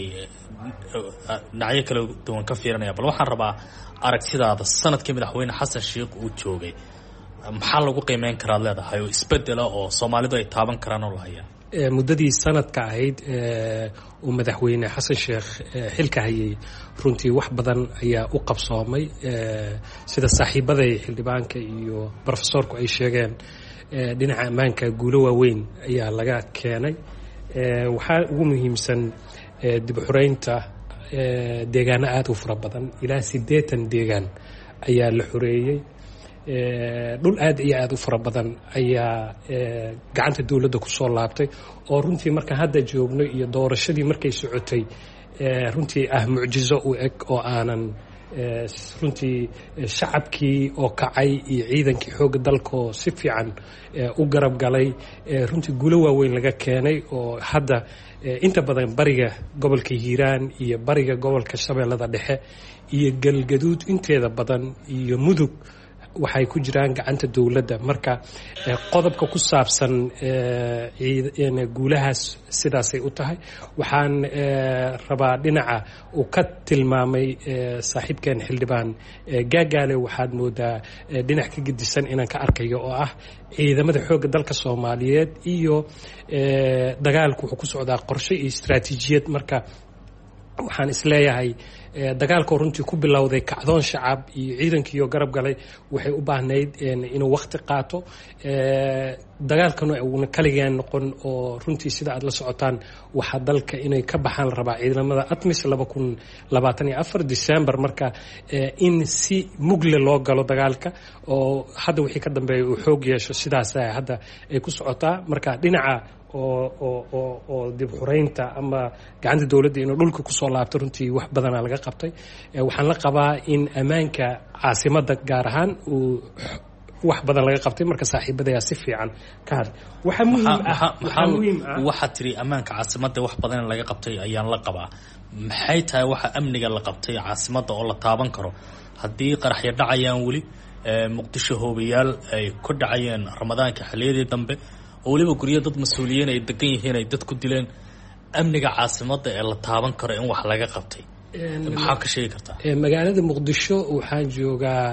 dhinacyo kala duwan ka fiirinaya. Bal waxaan rabaa aragtidaada sanadkii madaxweyne Xasan Sheikh uu joogay, maxaa lagu qiimeyn karaad leedahay oo isbedela oo Soomaalidu ay taaban karaan oo la hayaa? Muddadii sanadka ahayd uu madaxweyne Xasan Sheekh xilka hayay, runtii wax badan ayaa u qabsoomay. Sida saaxiibaday xildhibaanka iyo brofesoorku ay sheegeen, dhinaca ammaanka guulo waaweyn ayaa laga keenay. Waxaa ugu muhiimsan dib u xureynta deegaano aada u fara badan, ilaa siddeetan deegaan ayaa la xoreeyey. Dhul aad iyo aada u fara badan ayaa gacanta dowladda kusoo laabtay, oo runtii markaan hadda joogno iyo doorashadii markay socotay runtii ah mucjizo u eg, oo aanan runtii shacabkii oo kacay iyo ciidankii xoogga dalkaoo si fiican u garab galay, runtii guulo waaweyn laga keenay, oo hadda inta badan bariga gobolka Hiiraan iyo bariga gobolka Shabeellada Dhexe iyo Galgaduud inteeda badan iyo Mudug waxay ku jiraan gacanta dowladda. Marka qodobka ku saabsan guulahaas sidaasay u tahay. Waxaan rabaa dhinaca uu ka tilmaamay saaxiibkeen xildhibaan Gaagaale, waxaad moodaa dhinac ka gedisan inaan ka arkayo, oo ah ciidamada xoogga dalka Soomaaliyeed iyo dagaalku wuxuu ku socdaa qorshe iyo istaraatiijiyad. Marka waxaan isleeyahay dagaalkoo runtii ku bilowday kacdoon shacab iyo ciidankiioo garab galay waxay u baahnayd inuu wakti qaato, dagaalkana uuna kaligeen noqon, oo runtii sida aad la socotaan waxaa dalka inay ka baxaan la rabaa ciidamada ATMIS laba kun labaatan iyo afar December. Marka in si mugle loo galo dagaalka oo hadda wixii ka dambeeya uu xoog yeesho, sidaas hadda ay ku socotaa. Marka dhinaca oo oo oo oo dib xureynta ama gacanta dowladda inuu dhulka kusoo laabto, runtii wax badanaa laga qabtay. Waxaan la qabaa in ammaanka caasimadda gaar ahaan uu wax badan laga qabtay. Marka saaxiibadayaa si fiican ka hadlay. Waxaa muhiim ah waxaa muhiim ah waxaad tiri ammaanka caasimadda wax badan in laga qabtay ayaan la qabaa. Maxay tahay waxa amniga la qabtay caasimadda oo la taaban karo haddii qaraxyo dhacayaan weli Muqdisho, hoobayaal ay ku dhacayeen Ramadaanka xilliyadii dambe, oo weliba guryo dad mas-uuliyiin ay degan yihiin ay dad ku dileen? Amniga caasimadda ee la taaban karo in wax laga qabtay maxaa ka sheegi kartaa? Magaalada Muqdisho waxaan joogaa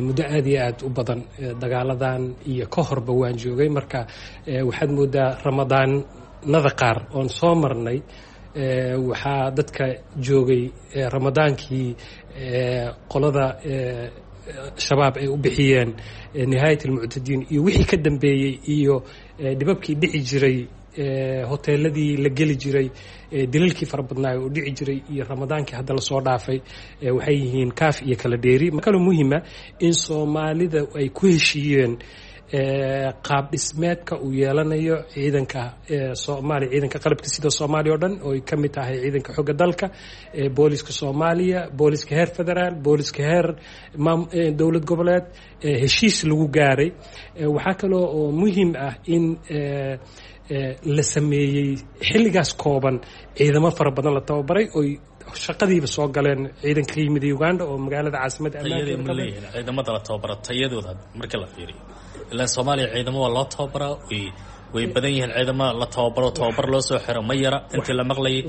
muddo aada iyo aada u badan, dagaaladan iyo ka horba waan joogay. Marka waxaad moodaa ramadaanada qaar oon soo marnay, waxaa dadka joogay ramadaankii qolada Shabaab ay u bixiyeen nihaayat almuctadiin iyo wixii ka dambeeyey iyo dhibabkii dhici jiray, hoteeladii la geli jiray, dilalkii fara badnaa oo dhici jiray, iyo ramadaankii hadda lasoo dhaafay waxay yihiin kaaf iyo kala dheeri. Kaloo muhiima in Soomaalida ay ku heshiiyeen qaab dhismeedka uu yeelanayo ciidanka Soomaaliya, ciidanka qalabka sida Soomaaliya oo dhan oo ay ka mid tahay ciidanka xogga dalka, booliska Soomaaliya, booliska heer federaal, booliska heer dowlad goboleed, heshiis lagu gaaray. Waxaa kaloo oo muhiim ah in la sameeyey xilligaas kooban ciidamo fara badan la tababaray oy shaqadiiba soo galeen ciidanka ka yimid Uganda oo magaalada caasimadda tayadii ma leeyihiin ciidamada la tababara tayadooda marka la fiiriyo? Ilaan Soomaaliya ciidamo waa loo tababaraa, way way badan yihiin ciidamo la tababaro, tababar loo soo xiro ma yara intii la maqlayay,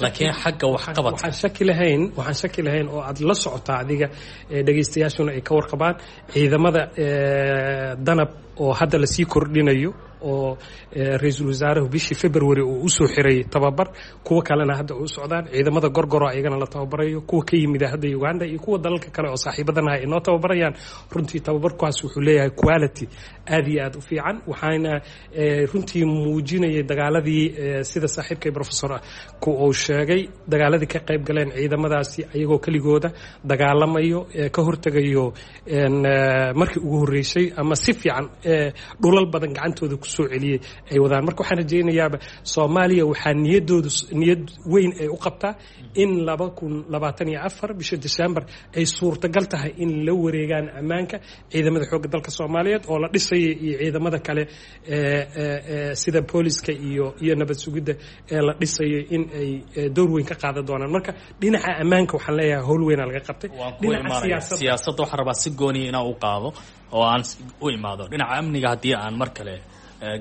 laakiin xagga waxqabadka waxaan shaki lahayn waxaan shaki lahayn oo aad la socotaa adiga, dhegaystayaashuna ay ka warqabaan ciidamada danab oo hadda lasii kordhinayo oo ra-iisul wasaaruhu bishii February uu usoo xiray tababar, kuwa kalena hadda u socdaan, ciidamada gorgoro ayagana la tababarayo, kuwa ka yimida hadda Uganda iyo kuwa dalalka kale oo saaxiibadanaha ay noo tababarayaan. Runtii tababarkaas wuxuu leeyahay quality aad iyo aad u fiican, waxaana runtii muujinayay dagaaladii sida saaxiibkay professor ku uu sheegay, dagaaladii ka qayb galeen ciidamadaasi ayagoo keligooda dagaalamayo, ka hortegayo markii ugu horreysay ama si fiican dhulal badan gacantooda kusoo celiyey ay wadaan. Marka waxaan rajaynayaaba Soomaaliya waxaa niyadoodu niyad weyn ay u qabtaa in laba kun labaatan iyo afar bisha December ay suurtagal tahay in la wareegaan ammaanka ciidamada xoogga dalka Soomaaliyeed oo la dhisaya iyo ciidamada kale sida booliska iyo iyo nabad sugidda ee la dhisayo in ay door weyn ka qaadan doonaan. Marka dhinaca ammaanka waxaan leeyahay howl weynaa laga qabtay. Dhinaca siyaasadda waxaan rabaa si gooniya inaan u qaado oo aan u imaado dhinaca amniga. Haddii aan mar kale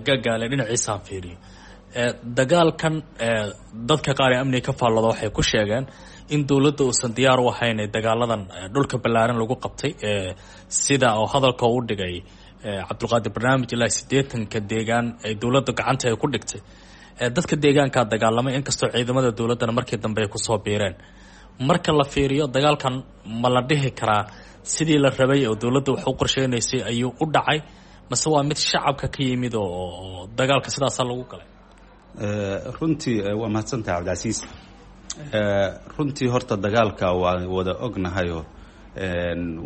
gagaale dhinaciisaan fiiriyo dagaalkan, dadka qaar ee amniga ka faallooda waxay ku sheegeen in dowladda uusan diyaar u ahayn dagaaladan dhulka ballaaran lagu qabtay, sida oo hadalka u dhigay Cabdulqaadir barnaamij ilaa siddeetanka deegaan ay dowladda gacanta ay ku dhigtay. Dadka deegaankaa dagaalamay, inkastoo ciidamada dowladdana markii dambe ay kusoo biireen. Marka la fiiriyo dagaalkan, ma la dhihi karaa sidii la rabay oo dowladda wax u qorsheynaysay ayuu u dhacay, mase waa mid shacabka ka yimid oo dagaalka sidaasaa lagu galay? Runtii waa mahadsantahay Cabdicasiis. Runtii horta dagaalka waa wada ognahayo,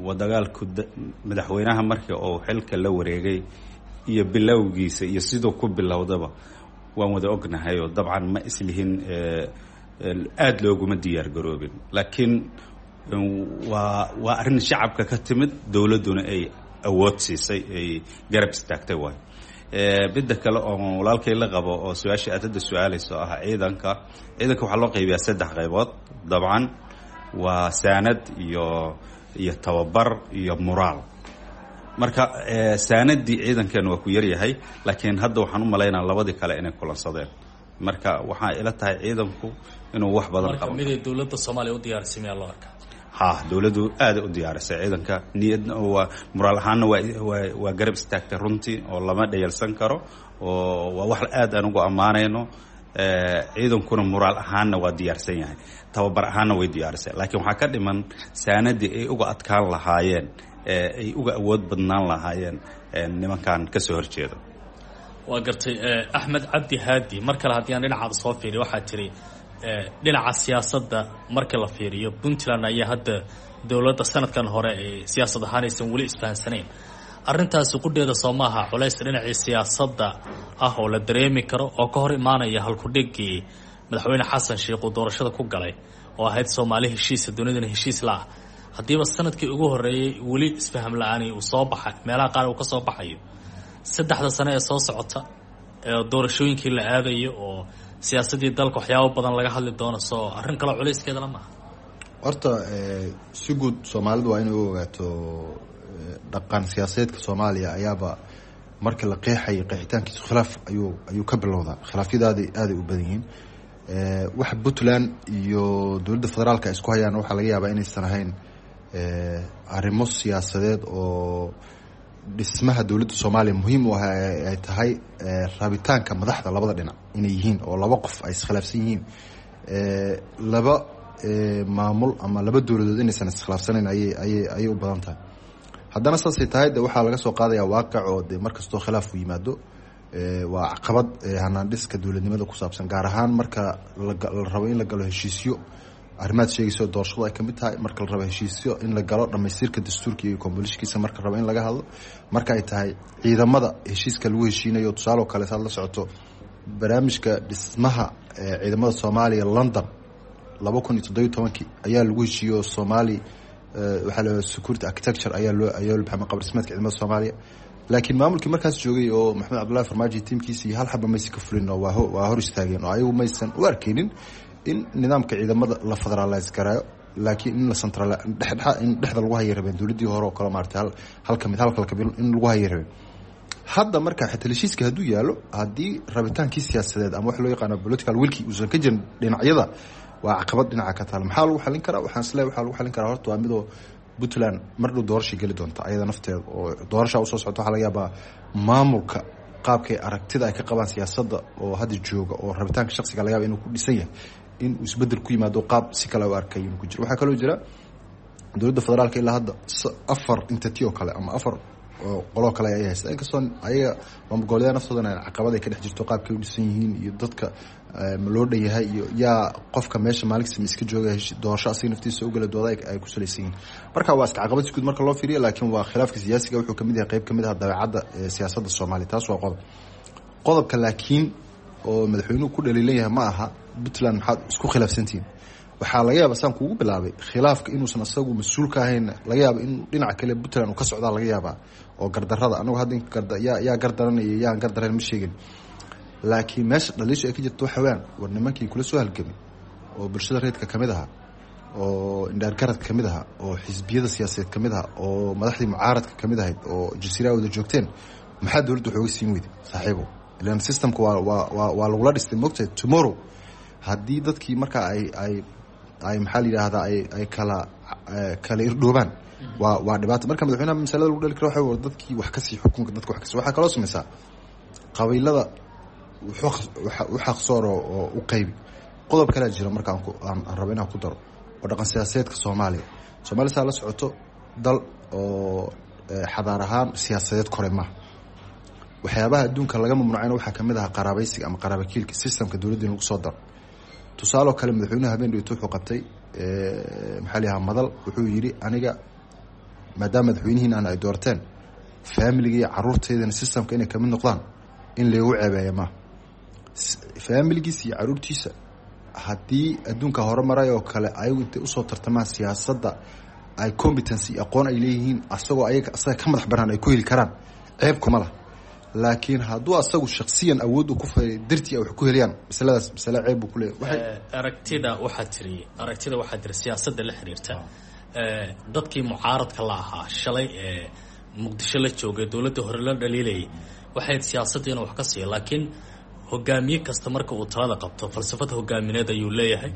waa dagaalku madaxweynaha markii uu xilka la wareegay iyo bilowgiisa iyo siduu ku bilowdaba waan wada ognahayo. Dabcan ma islihin aada looguma diyaar garoobin, laakiin waa waa arrin shacabka ka timid, dowladduna ay awood siisay, ay garab istaagtay. Waay midda kale oo walaalkay la qabo oo su-aasha aad hadda su-aalayso ah, ciidanka ciidanka waxaa loo qaybiyaa saddex qaybood. Dabcan waa saanad iyo iyo tababar iyo muraal. Marka saanadii ciidankeena waa ku yaryahay, laakiin hadda waxaan u malaynaa labadii kale inay kulansadeen. Marka waxaa ila tahay ciidanku inuu wax badan qabo. Miday dowladda Soomaaliya u diyaarisay miyaa loo arkaa? Ha, dowladdu aada u diyaarisay ciidanka, niyadna waa muraal ahaanna waa waa waa garab istaagtay runtii oo lama dhayalsan karo oo waa wax aad aan ugu ammaanayno. Ciidankuna muraal ahaanna waa diyaarsan yahay, tababar ahaanna way diyaarisay, laakiin waxaa ka dhiman saanadii ay uga adkaan lahaayeen, ay uga awood badnaan lahaayeen nimankan ka soo horjeeda. Waa gartay. Axmed Cabdi Haadi, mar kale haddii aan dhinacaada soo fiiriyo, waxaa tiri dhinaca siyaasadda marka la fiiriyo Puntland ayaa hadda dowladda sanadkan hore ay siyaasad ahaan aysan weli isfahansanayn. Arrintaasi qudheeda soo maaha culays dhinacii siyaasadda ah oo la dareemi karo oo ka hor imaanaya halkudhigii madaxweyne Xasan Sheikh uu doorashada ku galay oo ahayd Soomaali heshiisa dunidana heshiis la ah? Haddiiba sanadkii ugu horreeyey weli isfaham la-aani uu soo baxay, meelaha qaar uu ka soo baxayo, saddexda sano ee soo socota ee doorashooyinkii la aadayo oo siyaasaddii dalka waxyaabo badan laga hadli doono, soo arrin kaloo culayskeedala maaha? Horta si guud soomaalidu waa inay u ogaato dhaqan siyaasadeedka Soomaaliya ayaaba marka la qeexayo qeexitaankiisu khilaaf ayuu ayuu ka bilowdaa. Khilaafyadaadi aaday u badan yihiin. Waxa Puntland iyo dowladda federaalka ay isku hayaan waxaa laga yaabaa inaysan ahayn arrimo siyaasadeed oo dhismaha dowladda Soomaaliya muhiim u ah, ay tahay rabitaanka madaxda labada dhinac inay yihiin oo laba qof ay iskhilaafsan yihiin, laba maamul ama laba dowladood inaysan iskhilaafsanayn ayay ayay ayay u badan tahay. Haddana saasay tahay de waxaa laga soo qaadaya waaqic oo de mar kastoo khilaaf u yimaado waa caqabad hanaan dhiska dowladnimada ku saabsan, gaar ahaan marka la rabo in la galo heshiisyo Arrimaad sheegayso doorashadu ay kamid tahay, marka la rabo heshiisyo in la galo, dhamaystirka dastuurka iyo kombolishkiisa marka la rabo in laga hadlo, marka ay tahay ciidamada heshiiska lagu heshiinayo. Tusaale oo kale, saad la socoto barnaamijka dhismaha ciidamada Soomaaliya London laba kun iyo toddobiyo tobankii ayaa lagu heshiiyo. Somali waxaa la security architecture ayaa loo ayaa loo baxay qaab dhismeedka ciidamada Soomaaliya, laakiin maamulkii markaas joogay oo Maxamed Cabdullaahi Farmaajo tiimkiisa iyo hal xaba maysan ka fulin oo waa waa hor istaageen, oo ayagu maysan u arkeynin in nidaamka ciidamada la federalize garaayo, laakiin in la central dhexdhexa in dhexda lagu hayay rabeen dowladdii hore oo kale, maaragtay hal hal kamid hal kala kabil in lagu hayay rabeen. Hadda marka xitaa heshiiska hadduu yaalo, haddii rabitaankii siyaasadeed ama wax loo yaqaano political willkii uusan ka jirin dhinacyada, waa caqabad dhinaca ka taal. Maxaa lagu xalin karaa? Waxaan isleeyahay waxaa lagu xalin karaa horta waa midoo Puntland mar dhow doorasha geli doonta ayada nafteeda, oo doorasha usoo socota. Waxaa laga yaabaa maamulka qaabkay aragtida ay ka qabaan siyaasadda oo hadda jooga oo rabitaanka shaksiga laga yaaba inuu ku dhisan yahay in uu isbedel ku yimaado, qaab si kale u arkay inuu ku jiro. Waxaa kaloo jira dowladda federaalka ilaa hadda afar entity oo kale ama afar qoloo kale ay haysta, inkastoo ayaga maamul goboleedyada naftoodana caqabad ay ka dhex jirto qaabkay u dhisan yihiin iyo dadka ma loo dhan yahay iyo yaa qofka meesha maalinkasta ma iska jooga doorasho asiga naftiisa u gala dooda ay ku salaysan yihiin. Marka waa iska caqabad si guud marka loo fiiriyo, laakiin waa khilaafka siyaasiga wuxuu kamid yahay qayb kamid ah dabeecadda siyaasadda Soomaaliya. Taas waa qodob. Qodobka laakiin oo madaxweynuhu ku dhaliilan yahay ma aha Puntland maxaad isku khilaafsantihiin. Waxaa laga yaaba saan kuugu bilaabay khilaafka inuusan asagu mas-uul ka ahayn, laga yaaba in dhinaca kale Puntland uu ka socdaa laga yaabaa oo gardarada anagu hadda yaa yaa gardaranaya yaan gardarayn ma sheegin, laakiin meesha dhaliisha ay ka jirto waxa weeyaan war nimankii kula soo halgamay oo bulshada reedka kamid ahaa oo indhaargaradka kamid ahaa oo xisbiyada siyaasadeed kamid ahaa oo madaxdii mucaaradka kamid ahayd oo jasiiraha wada joogteen, maxaa dowladda waxooga siin weyday saaxiibo? Ilan systemka waa waa waa waa lagula dhistay mogtahay. Tomorrow haddii dadkii markaa ay ay ay maxaa la yidhaahdaa ay ay kala kala irdhoobaan waa waa dhibaato. Marka madaxweynaha masalada lagu dhali karo waxa war dadkii wax kasii xukunka dadka wax kasii. Waxaa kaloo samaysaa qabiilada u xaqsoor oo u qaybi. Qodob kalea jira marka aan aan rabo inaan ku daro oo dhaqan siyaasadeedka Soomaaliya. Soomaaliya saa la socoto dal oo xadaar ahaan siyaasadeed kore maaha. Waxyaabaha adduunka laga mamnuucayna waxaa kamid ahaa qaraabaysiga ama qaraabakiilka systemka dowladda in lagu soo daro. Tusaaloo kale, madaxweynuhu habeen dhigto wuxuu qabtay maxaa la yidhaha madal, wuxuu yidhi aniga maadaama madaxweynihiin aan ay doorteen faamiliga iyo caruurteydana systemka inay kamid noqdaan in laygu ceebeeya maaha. Faamiligiisa iyo caruurtiisa haddii adduunka hore maray oo kale ayagu intay usoo tartamaan siyaasadda ay competency iyo aqoon ay leeyihiin asagoo ayaga asaga ka madax banaan ay ku heli karaan, ceeb kuma lah. Laakiin hadduu asagu shaksiyan awood uu ku fay dartii ay wax ku helayaan, masaladaas masale ceeb buu ku leeyahay. Aragtida waxaa tiri aragtida waxaa tiri siyaasadda la xiriirta dadkii mucaaradka la ahaa shalay ee Muqdisho la joogay dowladda hore la dhaliilayay waxay siyaasadda inuu wax ka siiyo, laakiin hogaamiye kasta marka uu talada qabto falsafad hogaamineed ayuu leeyahay,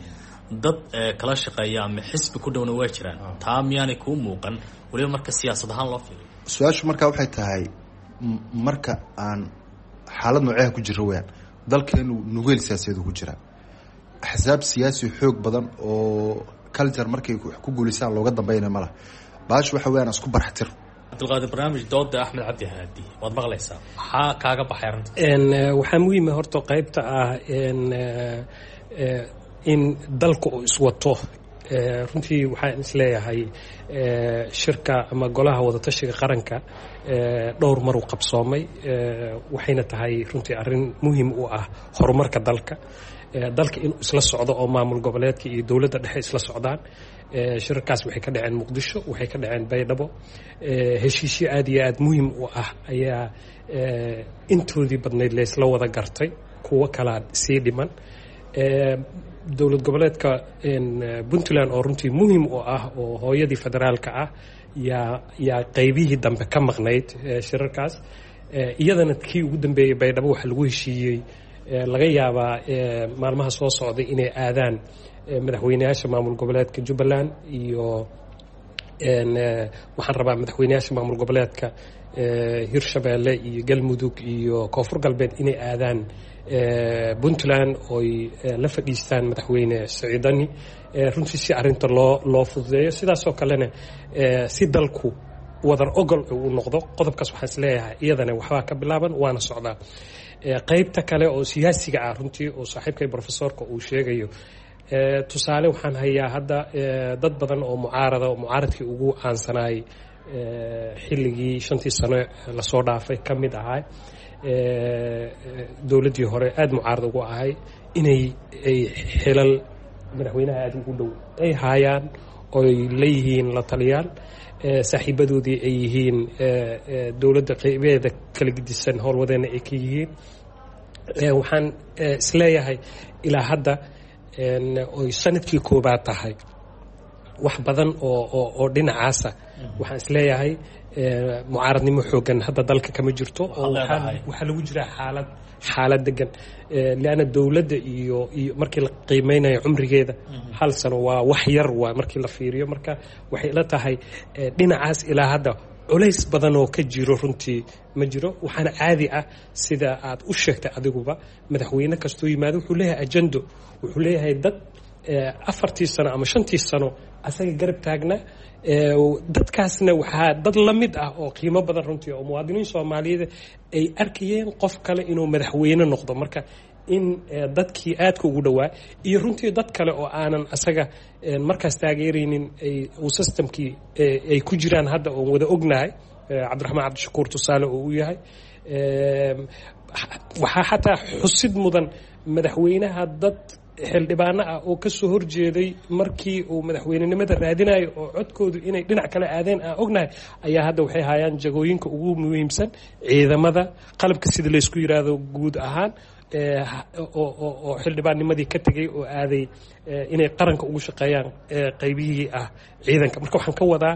dad kala shaqeeya ama xisbi ku dhowna waa jiraan. Taa miyaanay kuu muuqan weliba marka siyaasad ahaan loo fiiriyo? Su-aashu markaa waxay tahay marka aan xaalad nooceha ku jiro weyaan dalkeenu nugeel siyaasadeed ku jiraa, axsaab siyaasi xoog badan oo culture markay wax ku guulaysaan looga dambeynaya ma laha. Baashu waxa weyaan isku barxtir. Cabdulqaadir, barnaamij dooda Axmed Cabdi Haadi waad maqlaysaa, maxaa kaaga baxay arrinta? Waxaa muhiima horta qaybta ah in dalka uu iswato. Runtii waxaan isleeyahay shirka ama golaha wadatashiga qaranka dhowr mar uu qabsoomay, waxayna tahay runtii arrin muhiim u ah horumarka dalka, dalka inuu isla socdo oo maamul goboleedka iyo dowladda dhexe isla socdaan. Shirarkaas waxay ka dhaceen Muqdisho, waxay ka dhaceen Baydhabo. Heshiisyo aad iyo aad muhiim u ah ayaa intoodii badnayd laysla wada gartay, kuwo kalaa sii dhiman. Dowlad goboleedka Puntland oo runtii muhiim u ah oo hooyadii federaalka ah yaa yaa qaybihii dambe ka maqnayd shirarkaas. Iyadana kii ugu dambeeyey Baydhabo waxaa lagu heshiiyey laga yaabaa maalmaha soo socday inay aadaan madaxweyneyaasha maamul goboleedka Jubbaland iyo waxaan rabaa madaxweyneyaasha maamul goboleedka Hirshabeelle iyo Galmudug iyo Koonfur Galbeed inay aadaan Puntland ooy la fadhiistaan madaxweyne Siciidani, runtii si arrinta loo loo fududeeyo, sidaasoo kalena si dalku wadar ogol uu noqdo. Qodobkaas waxaan isleeyahay iyadana waxbaa ka bilaaban waana socdaa. Qaybta kale oo siyaasiga ah runtii oo saaxiibkay professorka uu sheegayo, Tusaale waxaan hayaa hadda dad badan oo mucaarada oo mucaaradkii ugu caansanaayay xilligii shantii sano lasoo dhaafay ka mid ahaa dowladdii hore aada mucaarad ugu ahay inay ay xilal madaxweynaha aada ugu dhow ay haayaan oy leeyihiin la taliyaal, saaxiibadoodii ay yihiin dowladda qeybeeda kala gedisan howlwadeenna ay ka yihiin. Waxaan isleeyahay ilaa hadda oy sanadkii koobaad tahay wax badan oo oo oo dhinacaasa waxaan isleeyahay mucaaradnimo xoogan hadda dalka kama jirto oo waxaa lagu jiraa xaalad xaalad degan, lianna dowladda iyo iyo markii la qiimeynayo cumrigeeda hal sano waa wax yar waa markii la fiiriyo. Marka waxay ila tahay dhinacaas ilaa hadda culays badan oo ka jiro runtii ma jiro. Waxaana caadi ah sida aad u sheegtay adiguba, madaxweyne kastuu yimaado wuxuu leeyahay ajendo, wuxuu leeyahay dad afartii sano ama shantii sano asaga garab taagnaa. Dadkaasna waxaa dad la mid ah oo qiimo badan runtii oo muwaadiniin soomaaliyeed ay arkayeen qof kale inuu madaxweyne noqdo. Marka in dadkii aadka ugu dhowaa iyo runtii dad kale oo aanan asaga markaas taageeraynin uu systemkii ay ku jiraan hadda oon wada ognahay, Cabdiraxmaan Cabdishakuur tusaale oo u yahay. Waxaa xataa xusid mudan madaxweynaha dad xildhibaano ah oo kasoo horjeeday markii uu madaxweynenimada raadinayo oo codkoodu inay dhinac kale aadeen aan ognahay ayaa hadda waxay hayaan jagooyinka ugu muhiimsan ciidamada qalabka sida laysku yiraahdo guud ahaan, oo xildhibaannimadii ka tegay oo aaday inay qaranka ugu shaqeeyaan qaybihii ah ciidanka. Marka waxaan ka wadaa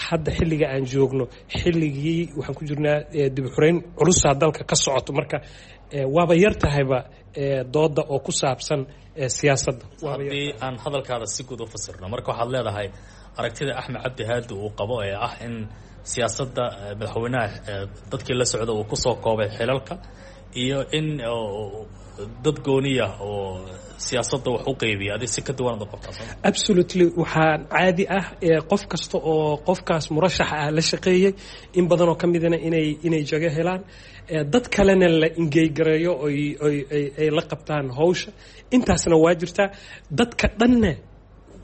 hadda xilliga aan joogno xilligii waxaan ku jirnaa dib u xureyn culusaa dalka ka socoto. Marka waaba yar tahayba dooda oo ku saabsan siyaasadda. Haddii aan hadalkaada si guud u fasirno, marka waxaad leedahay aragtida Axmed Cabdi Haadi uu qabo ee ah in siyaasadda madaxweynaha dadkii la socda uu kusoo koobay xilalka iyo in dad gooniya oo siyaasadda wax u qeybiya, adig si ka duwan aad u qabtaa? Absolutely, waxaa caadi ah qof kasta oo qofkaas murashaxa ah la shaqeeyey in badanoo ka midana inay inay jago helaan, dad kalena la ingeygareeyo oy oy ay la qabtaan hawsha. Intaasna waa jirtaa. Dadka dhanna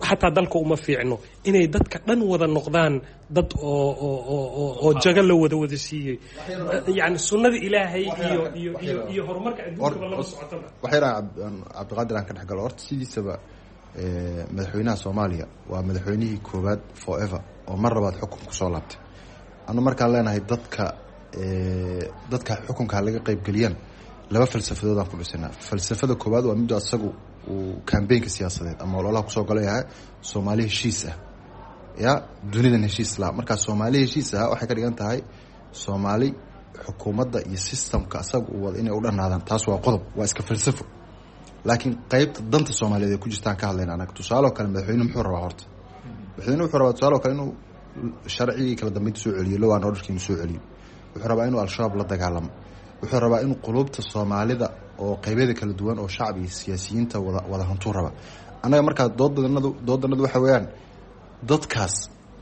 xataa dalka uma fiicno inay dadka dhan wada noqdaan dad oo oo oo oo jago la wada wada siiyey, yani sunnada Ilaahay iyo iyo iyo iyo horumarka adduunkaba lama socotaba. Wax yar aan Cabdiqaadir aan ka dhex galo. Horta sidiisaba madaxweynaha Soomaaliya waa madaxweynihii koowaad forever oo mar labaad xukun kusoo laabtay. Anu markaan leenahay dadka dadka xukunka laga qaybgeliyaan laba falsafadood aan ku dhisanaa. Falsafada koowaad waa midda asagu uu kambeynka siyaasadeed ama ololaha kusoo gala yahay, Soomaali heshiis ah ya dunidan heshiis la. Markaa Soomaali heshiis ah waxay ka dhigan tahay Soomaali xukuumadda iyo systemka asaga uu wada inay u dhanaadaan. Taas waa qodob, waa iska falsafo. Laakiin qeybta danta Soomaaliyeed ay ku jirtaan ka hadlayna anaga. Tusaale oo kale madaxweynuhu muxuu rabaa? Horta madaxweynuhu wuxuu rabaa tusaale oo kale inuu sharcigii kala dambeynta soo celiyo, law and orderkii inuu soo celiyo. Wuxuu rabaa inuu Al-Shabaab la dagaalamo. Wuxuu rabaa inuu qulubta Soomaalida oo qeybyada kala duwan oo shacbi iyo siyaasiyiinta wada wada hantuu raba. Annaga markaa doodanadu doodanadu waxa weeyaan dadkaas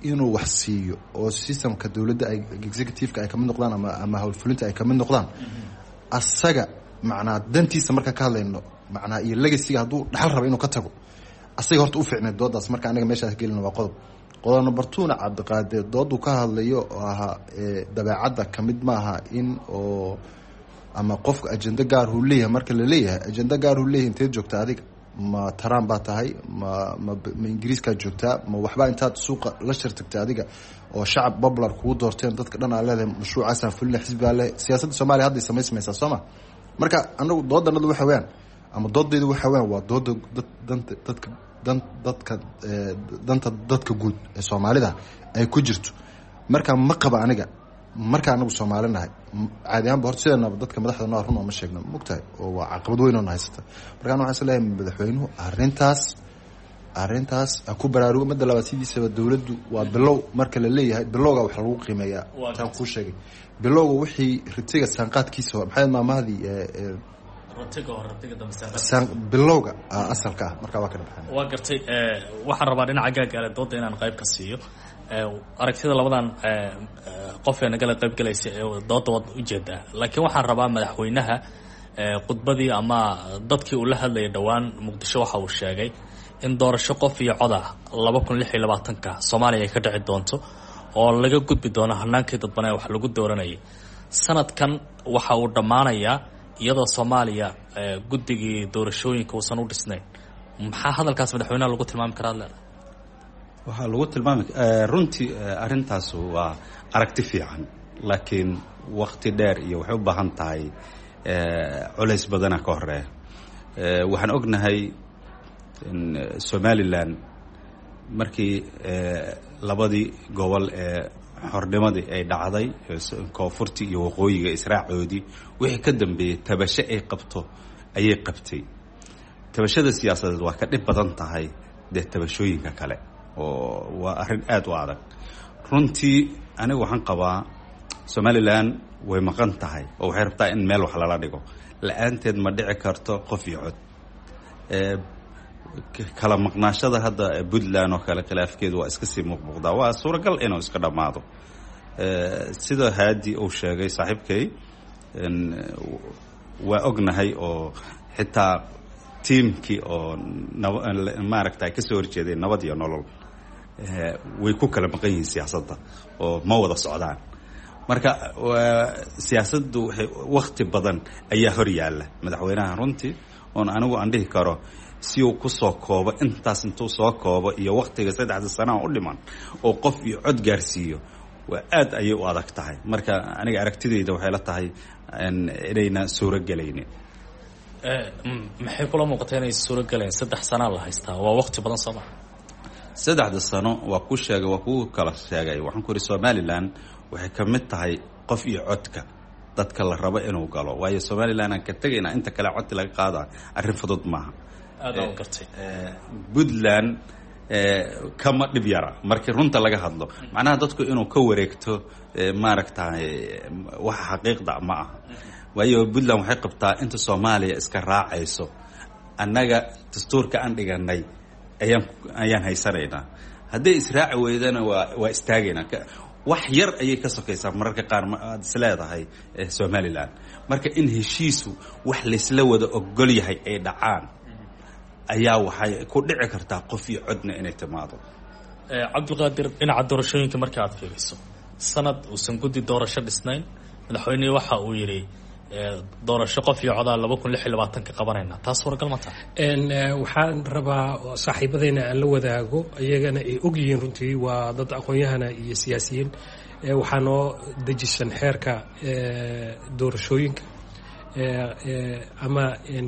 inuu wax siiyo oo systemka dowladda ay executive-ka ay kamid noqdaan ama ama howlfulinta ay kamid noqdaan asaga macnaa dantiisa markaa ka hadlayno macnaa iyo legacyga hadduu dhaxal raba inuu ka tago asaga horta u fiicneed doodaas. Marka anaga meeshaas gelina waa qodob. Qodob number two-na Cabdiqaadir dooduu ka hadlayo oo ahaa dabeecadda kamid maaha in oo ama qofka ajendo gaar uu leeyahay. Marka la leeyahay ajendo gaar uu leeyahay, inteed joogta adiga? Ma Trump baa tahay? ma ma ma Ingiriiskaa joogtaa? Ma waxbaa intaad suuqa la shirtagtay adiga oo shacab popular kugu doorteen dadka dhan aa leedahay mashruucaasaan fulina xisbigaa leeyahay? Siyaasadda Soomaaliya hadday samaysmaysaa sooma. Marka anagu doodanadu waxa weeyaan ama doodaydu waxa weeyaan waa dooda dad danta dadka dan dadka danta dadka guud ee Soomaalida ay ku jirto. Marka ma qaba aniga marka anagu Soomaali nahay caadi ahaanba horta sideenaba dadka madaxda noo run oo ma sheegno mogtahay oo waa caqabad weyn oo na haysata. Marka anu waxaan is leeyahay madaxweynuhu arrintaas arrintaas ha ku baraarugo. Midda labaad sidiisaba dowladdu waa bilow. Marka la leeyahay bilowga wax lagu qiimeeyaa taan kuu sheegay bilowga wixii ritiga saanqaadkiisa hore maxay maamahdii bilowga asalka ah marka waa ka dhabaxan. Waa gartay. Waxaan rabaa dhinaca gaagaale dooda inaan qayb ka siiyo aragtida labadan qof ee nagala qayb galaysa ee dooda waad ujeedaa, laakiin waxaan rabaa madaxweynaha Khudbadii ama dadkii uu la hadlayay dhowaan Muqdisho waxa uu sheegay in doorasho qof iyo cod ah laba kun lix iyo labaatanka Soomaaliya ay ka dhici doonto oo laga gudbi doono hanaankii dadban ee wax lagu dooranayay. Sanadkan waxa uu dhammaanayaa iyadoo Soomaaliya guddigii doorashooyinka uusan u dhisnayn. Maxaa hadalkaas madaxweynaha lagu tilmaami karaa ad leedahay? Waxaa lagu tilmaami runtii arrintaas waa aragti fiican, laakiin wakti dheer iyo waxay u baahan tahay culays badana ka horeeya. Waxaan ognahay in Somalilan markii labadii gobol ee xornimadii ay dhacday, koonfurtii iyo waqooyiga israacoodii, wixii ka dambeeyey tabasho ay qabto ayay qabtay. Tabashada siyaasadeed waa ka dhib badan tahay dee tabashooyinka kale, oo waa arrin aada u adag runtii. Anigu waxaan qabaa Somalilan way maqan tahay oo waxay rabtaa in meel wax lala dhigo, la-aanteed ma dhici karto qof iyo cod. Kala maqnaashada hadda Puntland oo kale khilaafkeedu waa iska sii muuqmuuqdaa, waa suuragal inuu iska dhammaado. Sida Haadi uu sheegay saaxiibkay, waa ognahay oo xitaa tiimkii oo maaragta ay kasoo horjeedeen Nabad iyo Nolol way ku kala maqan yihiin siyaasadda oo ma wada socdaan. Marka siyaasaddu waxay wakti badan ayaa hor yaalla madaxweynaha runtii, oon anigu aan dhihi karo si uu kusoo koobo intaas, intuu soo koobo iyo waktiga saddexda sanaha u dhiman oo qof iyo cod gaarsiiyo, waa aad ayay u adag tahay. Marka aniga aragtidayda waxay la tahay inayna suuro gelaynin. Maxay kula muuqata inay suuro gelayn? Saddex sanaa la haystaa, waa wakti badan soo maa? Saddexda sano waa ku sheegay, waa kuu kala sheegay. Waxaan ku ihi Somalilan waxay ka mid tahay qof iyo codka dadka la rabo inuu galo, waayo Somalilan aan ka tegaynaa inta kale codki laga qaada arrin fudud maaha. Aada u gartay. Puntland kama dhib yara markii runta laga hadlo, macnaha dadku inuu ka wareegto maaragtay waxa xaqiiqda ma aha, waayo Puntland waxay qabtaa inta Soomaaliya iska raacayso annaga dastuurka aan dhiganay ayaan ayaan haysanaynaa, hadday israaci weydana waa waa istaagaynaa. Wax yar ayay ka sokaysaa mararka qaar aad is leedahay Somalilan. Marka in heshiisu wax laysla wada ogol yahay ay dhacaan ayaa waxay ku dhici kartaa qof iyo codna inay timaado. Cabdiqaadir, dhinaca doorashooyinka marka aad fiiriso, sanad uusan guddi doorasho dhisnayn, madaxweynihii waxa uu yidhi doorasho qof iyo codaa laba kun lix iyo labaatanka qabanayna, taas suuragal ma tahay? Waxaan rabaa saaxiibadeyna aan la wadaago, iyagana ay og yihiin runtii waa dad aqoon-yahana iyo siyaasiyiin. Waxaa noo dejisan xeerka doorashooyinka ama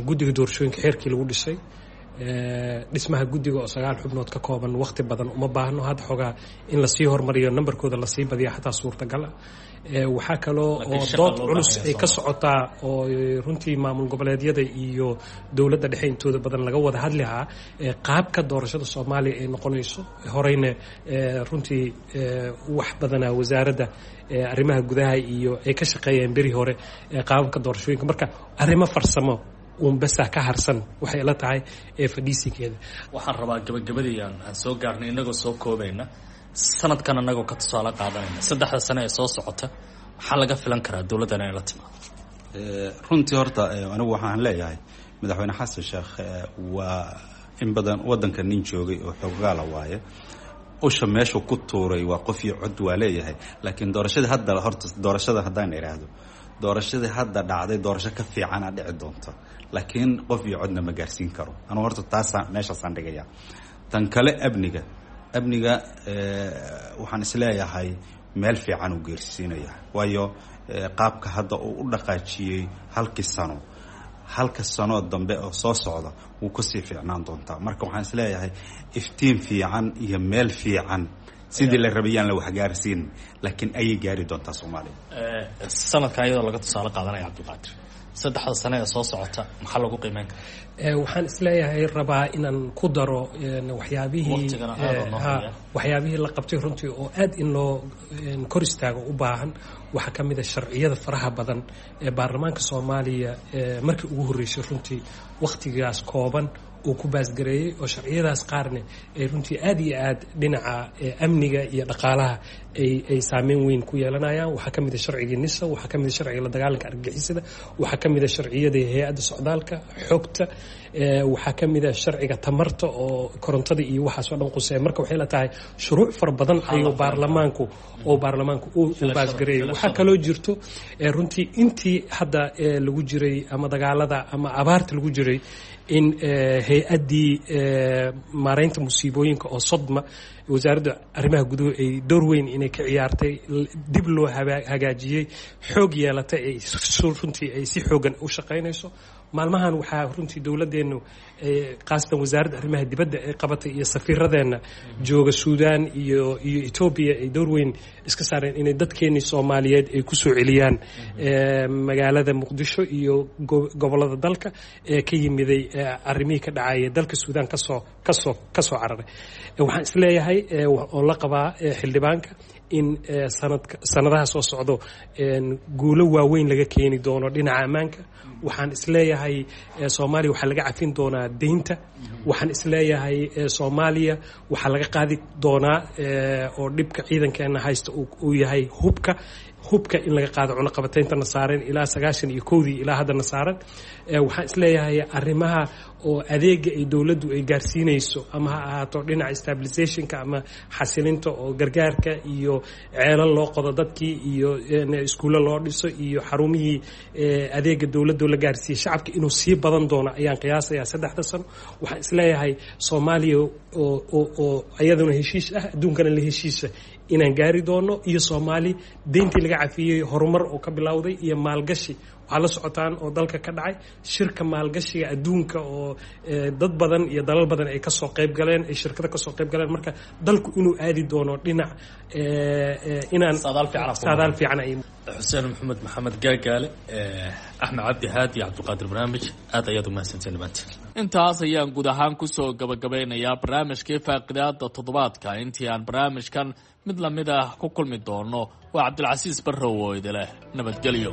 guddiga doorashooyinka xeerkii lagu dhisay. Dhismaha guddiga oo sagaal xubnood ka kooban waqti badan uma baahno, hadda xoogaa in lasii hormariyo nambarkooda lasii badiya xataa suurtagal ah. Waxaa kaloo oo dood culus ay ka socotaa oo runtii maamul goboleedyada iyo dowladda dhexe intooda badan laga wada hadli lahaa qaabka doorashada Soomaaliya ay noqonayso. Horeyna runtii wax badana wasaaradda arrimaha gudaha iyo ay ka shaqeeyeen beri hore qaababka doorashooyinka. Marka arrimo farsamo uun basa ka harsan waxay la tahay ee fadhiisinkeeda. Waxaan rabaa gabagabadii aan aan soo gaarnay inagoo soo koobayna sanadkan, anagoo ka tusaale qaadanayna saddexda sane ee soo socota, maxaa laga filan karaa dowladdan inay la timaado? Runtii horta anigu waxaan leeyahay madaxweyne Xasan Sheekh waa in badan waddanka nin joogay oo xoogaala waaye. Usha meeshuu ku tuuray waa qof iyo cod waa leeyahay, laakiin doorashadii hadda horta doorashada haddaan idhaahdo doorashadii hadda dhacday doorasho ka fiicana dhici doonta, laakiin qof iyo codna ma gaarsiin karo. Anugu horta taasaan meeshaasaan dhigaya. Tan kale amniga, amniga waxaan isleeyahay meel fiican uu geersiinaya, waayo qaabka hadda uu u dhaqaajiyey halkii sano, halka sanoo dambe oo soo socda wuu kasii fiicnaan doontaa. Marka waxaan isleeyahay iftiin fiican iyo meel fiican sidii la rabayaan la waxgaarsiin, laakiin ayay gaari doontaa Soomaaliya sanadkan iyadoo laga tusaale qaadanaya. Cabdiqaadir, saddexda sane ee soo socota maxaa lagu qiimeyn karaa? Waxaan isleeyahay rabaa inaan ku daro waxyaabihii Waqtigana aad oo noo haya. waxyaabihii la qabtay runtii oo aad in loo kor istaago u baahan. Waxaa ka mid a sharciyada faraha badan ee baarlamaanka Soomaaliya markii ugu horreysay runtii wakhtigaas kooban uu ku baasgareeyey, oo sharciyadaas qaarna ay runtii aad iyo aad dhinaca amniga iyo dhaqaalaha ay ay saameyn weyn ku yeelanayaan. Waxaa ka mid a sharcigii NISA, waxaa ka mid a sharciga la dagaalanka argagixisada, waxaa ka mid a sharciyada hay-adda socdaalka xogta, waxaa ka mid a sharciga tamarta oo korontada iyo waxaas oo dhan quseeya. Marka waxay la tahay shuruuc fara badan ayuu baarlamaanku oo baarlamaanku u baasgareeyay. Waxaa kaloo jirto runtii intii hadda lagu jiray ama dagaalada ama abaarta lagu jiray in hay-addii maareynta musiibooyinka oo SODMA, wasaaradda arrimaha guduhu ay door weyn inay ka ciyaartay, dib loo hagaajiyey, xoog yeelatay, ay runtii ay si xoogan u shaqaynayso maalmahan. Waxaa runtii dowladeennu, khaasatan wasaaradda arrimaha dibadda, ay qabatay iyo safiiradeenna jooga Suudaan iyo iyo Etoobiya ay door weyn iska saareen inay dadkeennii Soomaaliyeed ay kusoo celiyaan magaalada Muqdisho iyo gobollada dalka ee ka yimiday arrimihii ka dhacaya dalka Suudaan kasoo kasoo kasoo cararay. Waxaan isleeyahay oo la qabaa xildhibaanka in sanadka sanadaha soo socdo guulo waaweyn laga keeni doono dhinaca ammaanka. Waxaan isleeyahay Soomaaliya waxaa laga cafin doonaa deynta. Waxaan isleeyahay Soomaaliya waxaa laga qaadi doonaa oo dhibka ciidankeena haysta uu yahay hubka, hubka in laga qaado cunaqabatayntana saaran ilaa sagaashan iyo kowdii ilaa haddana saaran. Waxaan isleeyahay arrimaha oo adeega ay dowladdu ay gaarsiinayso, ama ha ahaato dhinaca stabilizationka ama xasilinta oo gargaarka iyo ceelal loo qodo dadkii iyo iskuullo loo dhiso iyo xarumihii adeega dowladdu la gaarsiiyey shacabka, inuu sii badan doono ayaan qiyaasayaa saddexda sano. Waxaan isleeyahay Soomaaliya oo oo oo iyaduna heshiis ah adduunkana la heshiisa inaan gaari doono, iyo Soomaali deyntii laga cafiyey, horumar oo ka bilowday iyo maalgashi. Waxaa la socotaan oo dalka ka dhacay shirka maalgashiga adduunka oo dad badan iyo dalal badan ay kasoo qayb galeen, ay shirkado kasoo qayb galeen. Marka dalku inuu aadi doono dhinac inaan saadaal fiican ay Xuseen Maxamed Maxamed Gaagaale, Axmed Cabdi Haadi iyo Cabdiqaadir Barnaamij, aad ayaad umahadsanteen dhammaantiin. Intaas ayaan guud ahaan kusoo gabagabeynayaa barnaamijkii faaqidaada toddobaadka. Intii aan barnaamijkan mid lamid ah ku kulmi doono, waa Cabdilcasiis Barrow oo idileh nabadgelyo.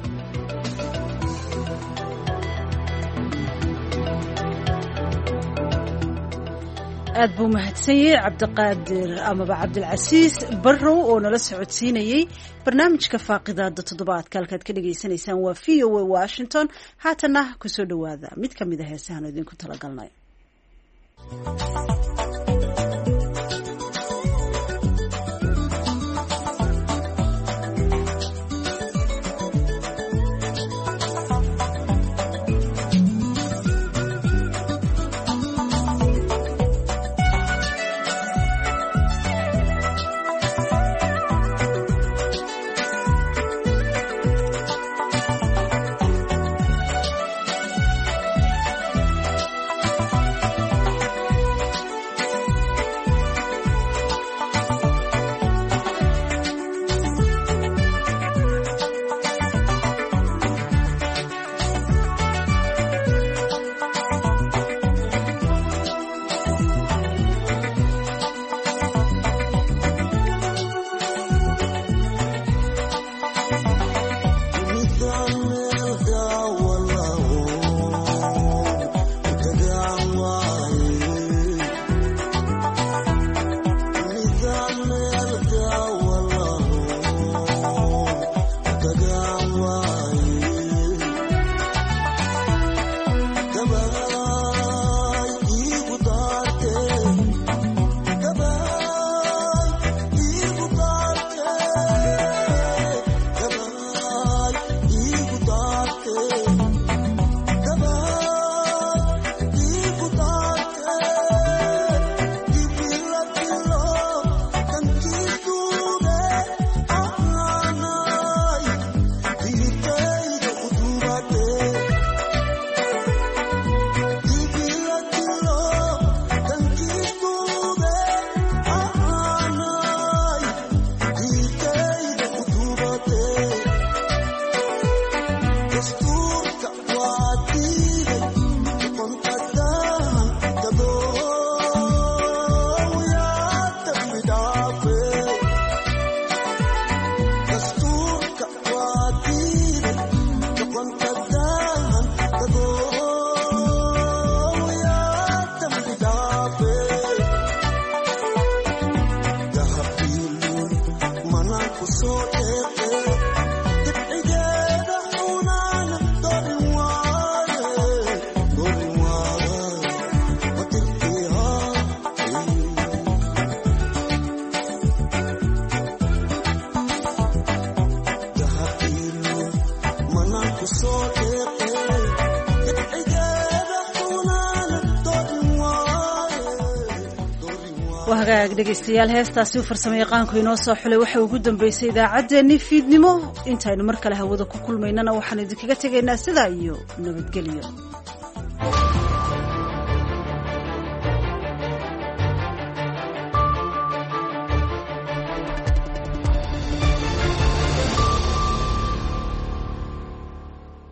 Aad buu mahadsanyey Cabdiqaadir amaba Cabdilcasiis Barrow oo nala socodsiinayey barnaamijka faaqidaada toddobaadka. Halkaad ka dhagaysanaysaan waa V O A Washington. Haatana kusoo dhowaada mid ka mid a heesahan idinku talagalnay. Waa hagaag dhegaystayaal, heestaasi u farsamo yaqaanku inoo soo xulay waxa ugu dambeysay idaacaddeenni fiidnimo. Intaynu mar kale hawada ku kulmaynana waxaan idinkaga tegaynaa sidaa iyo nabadgelyo.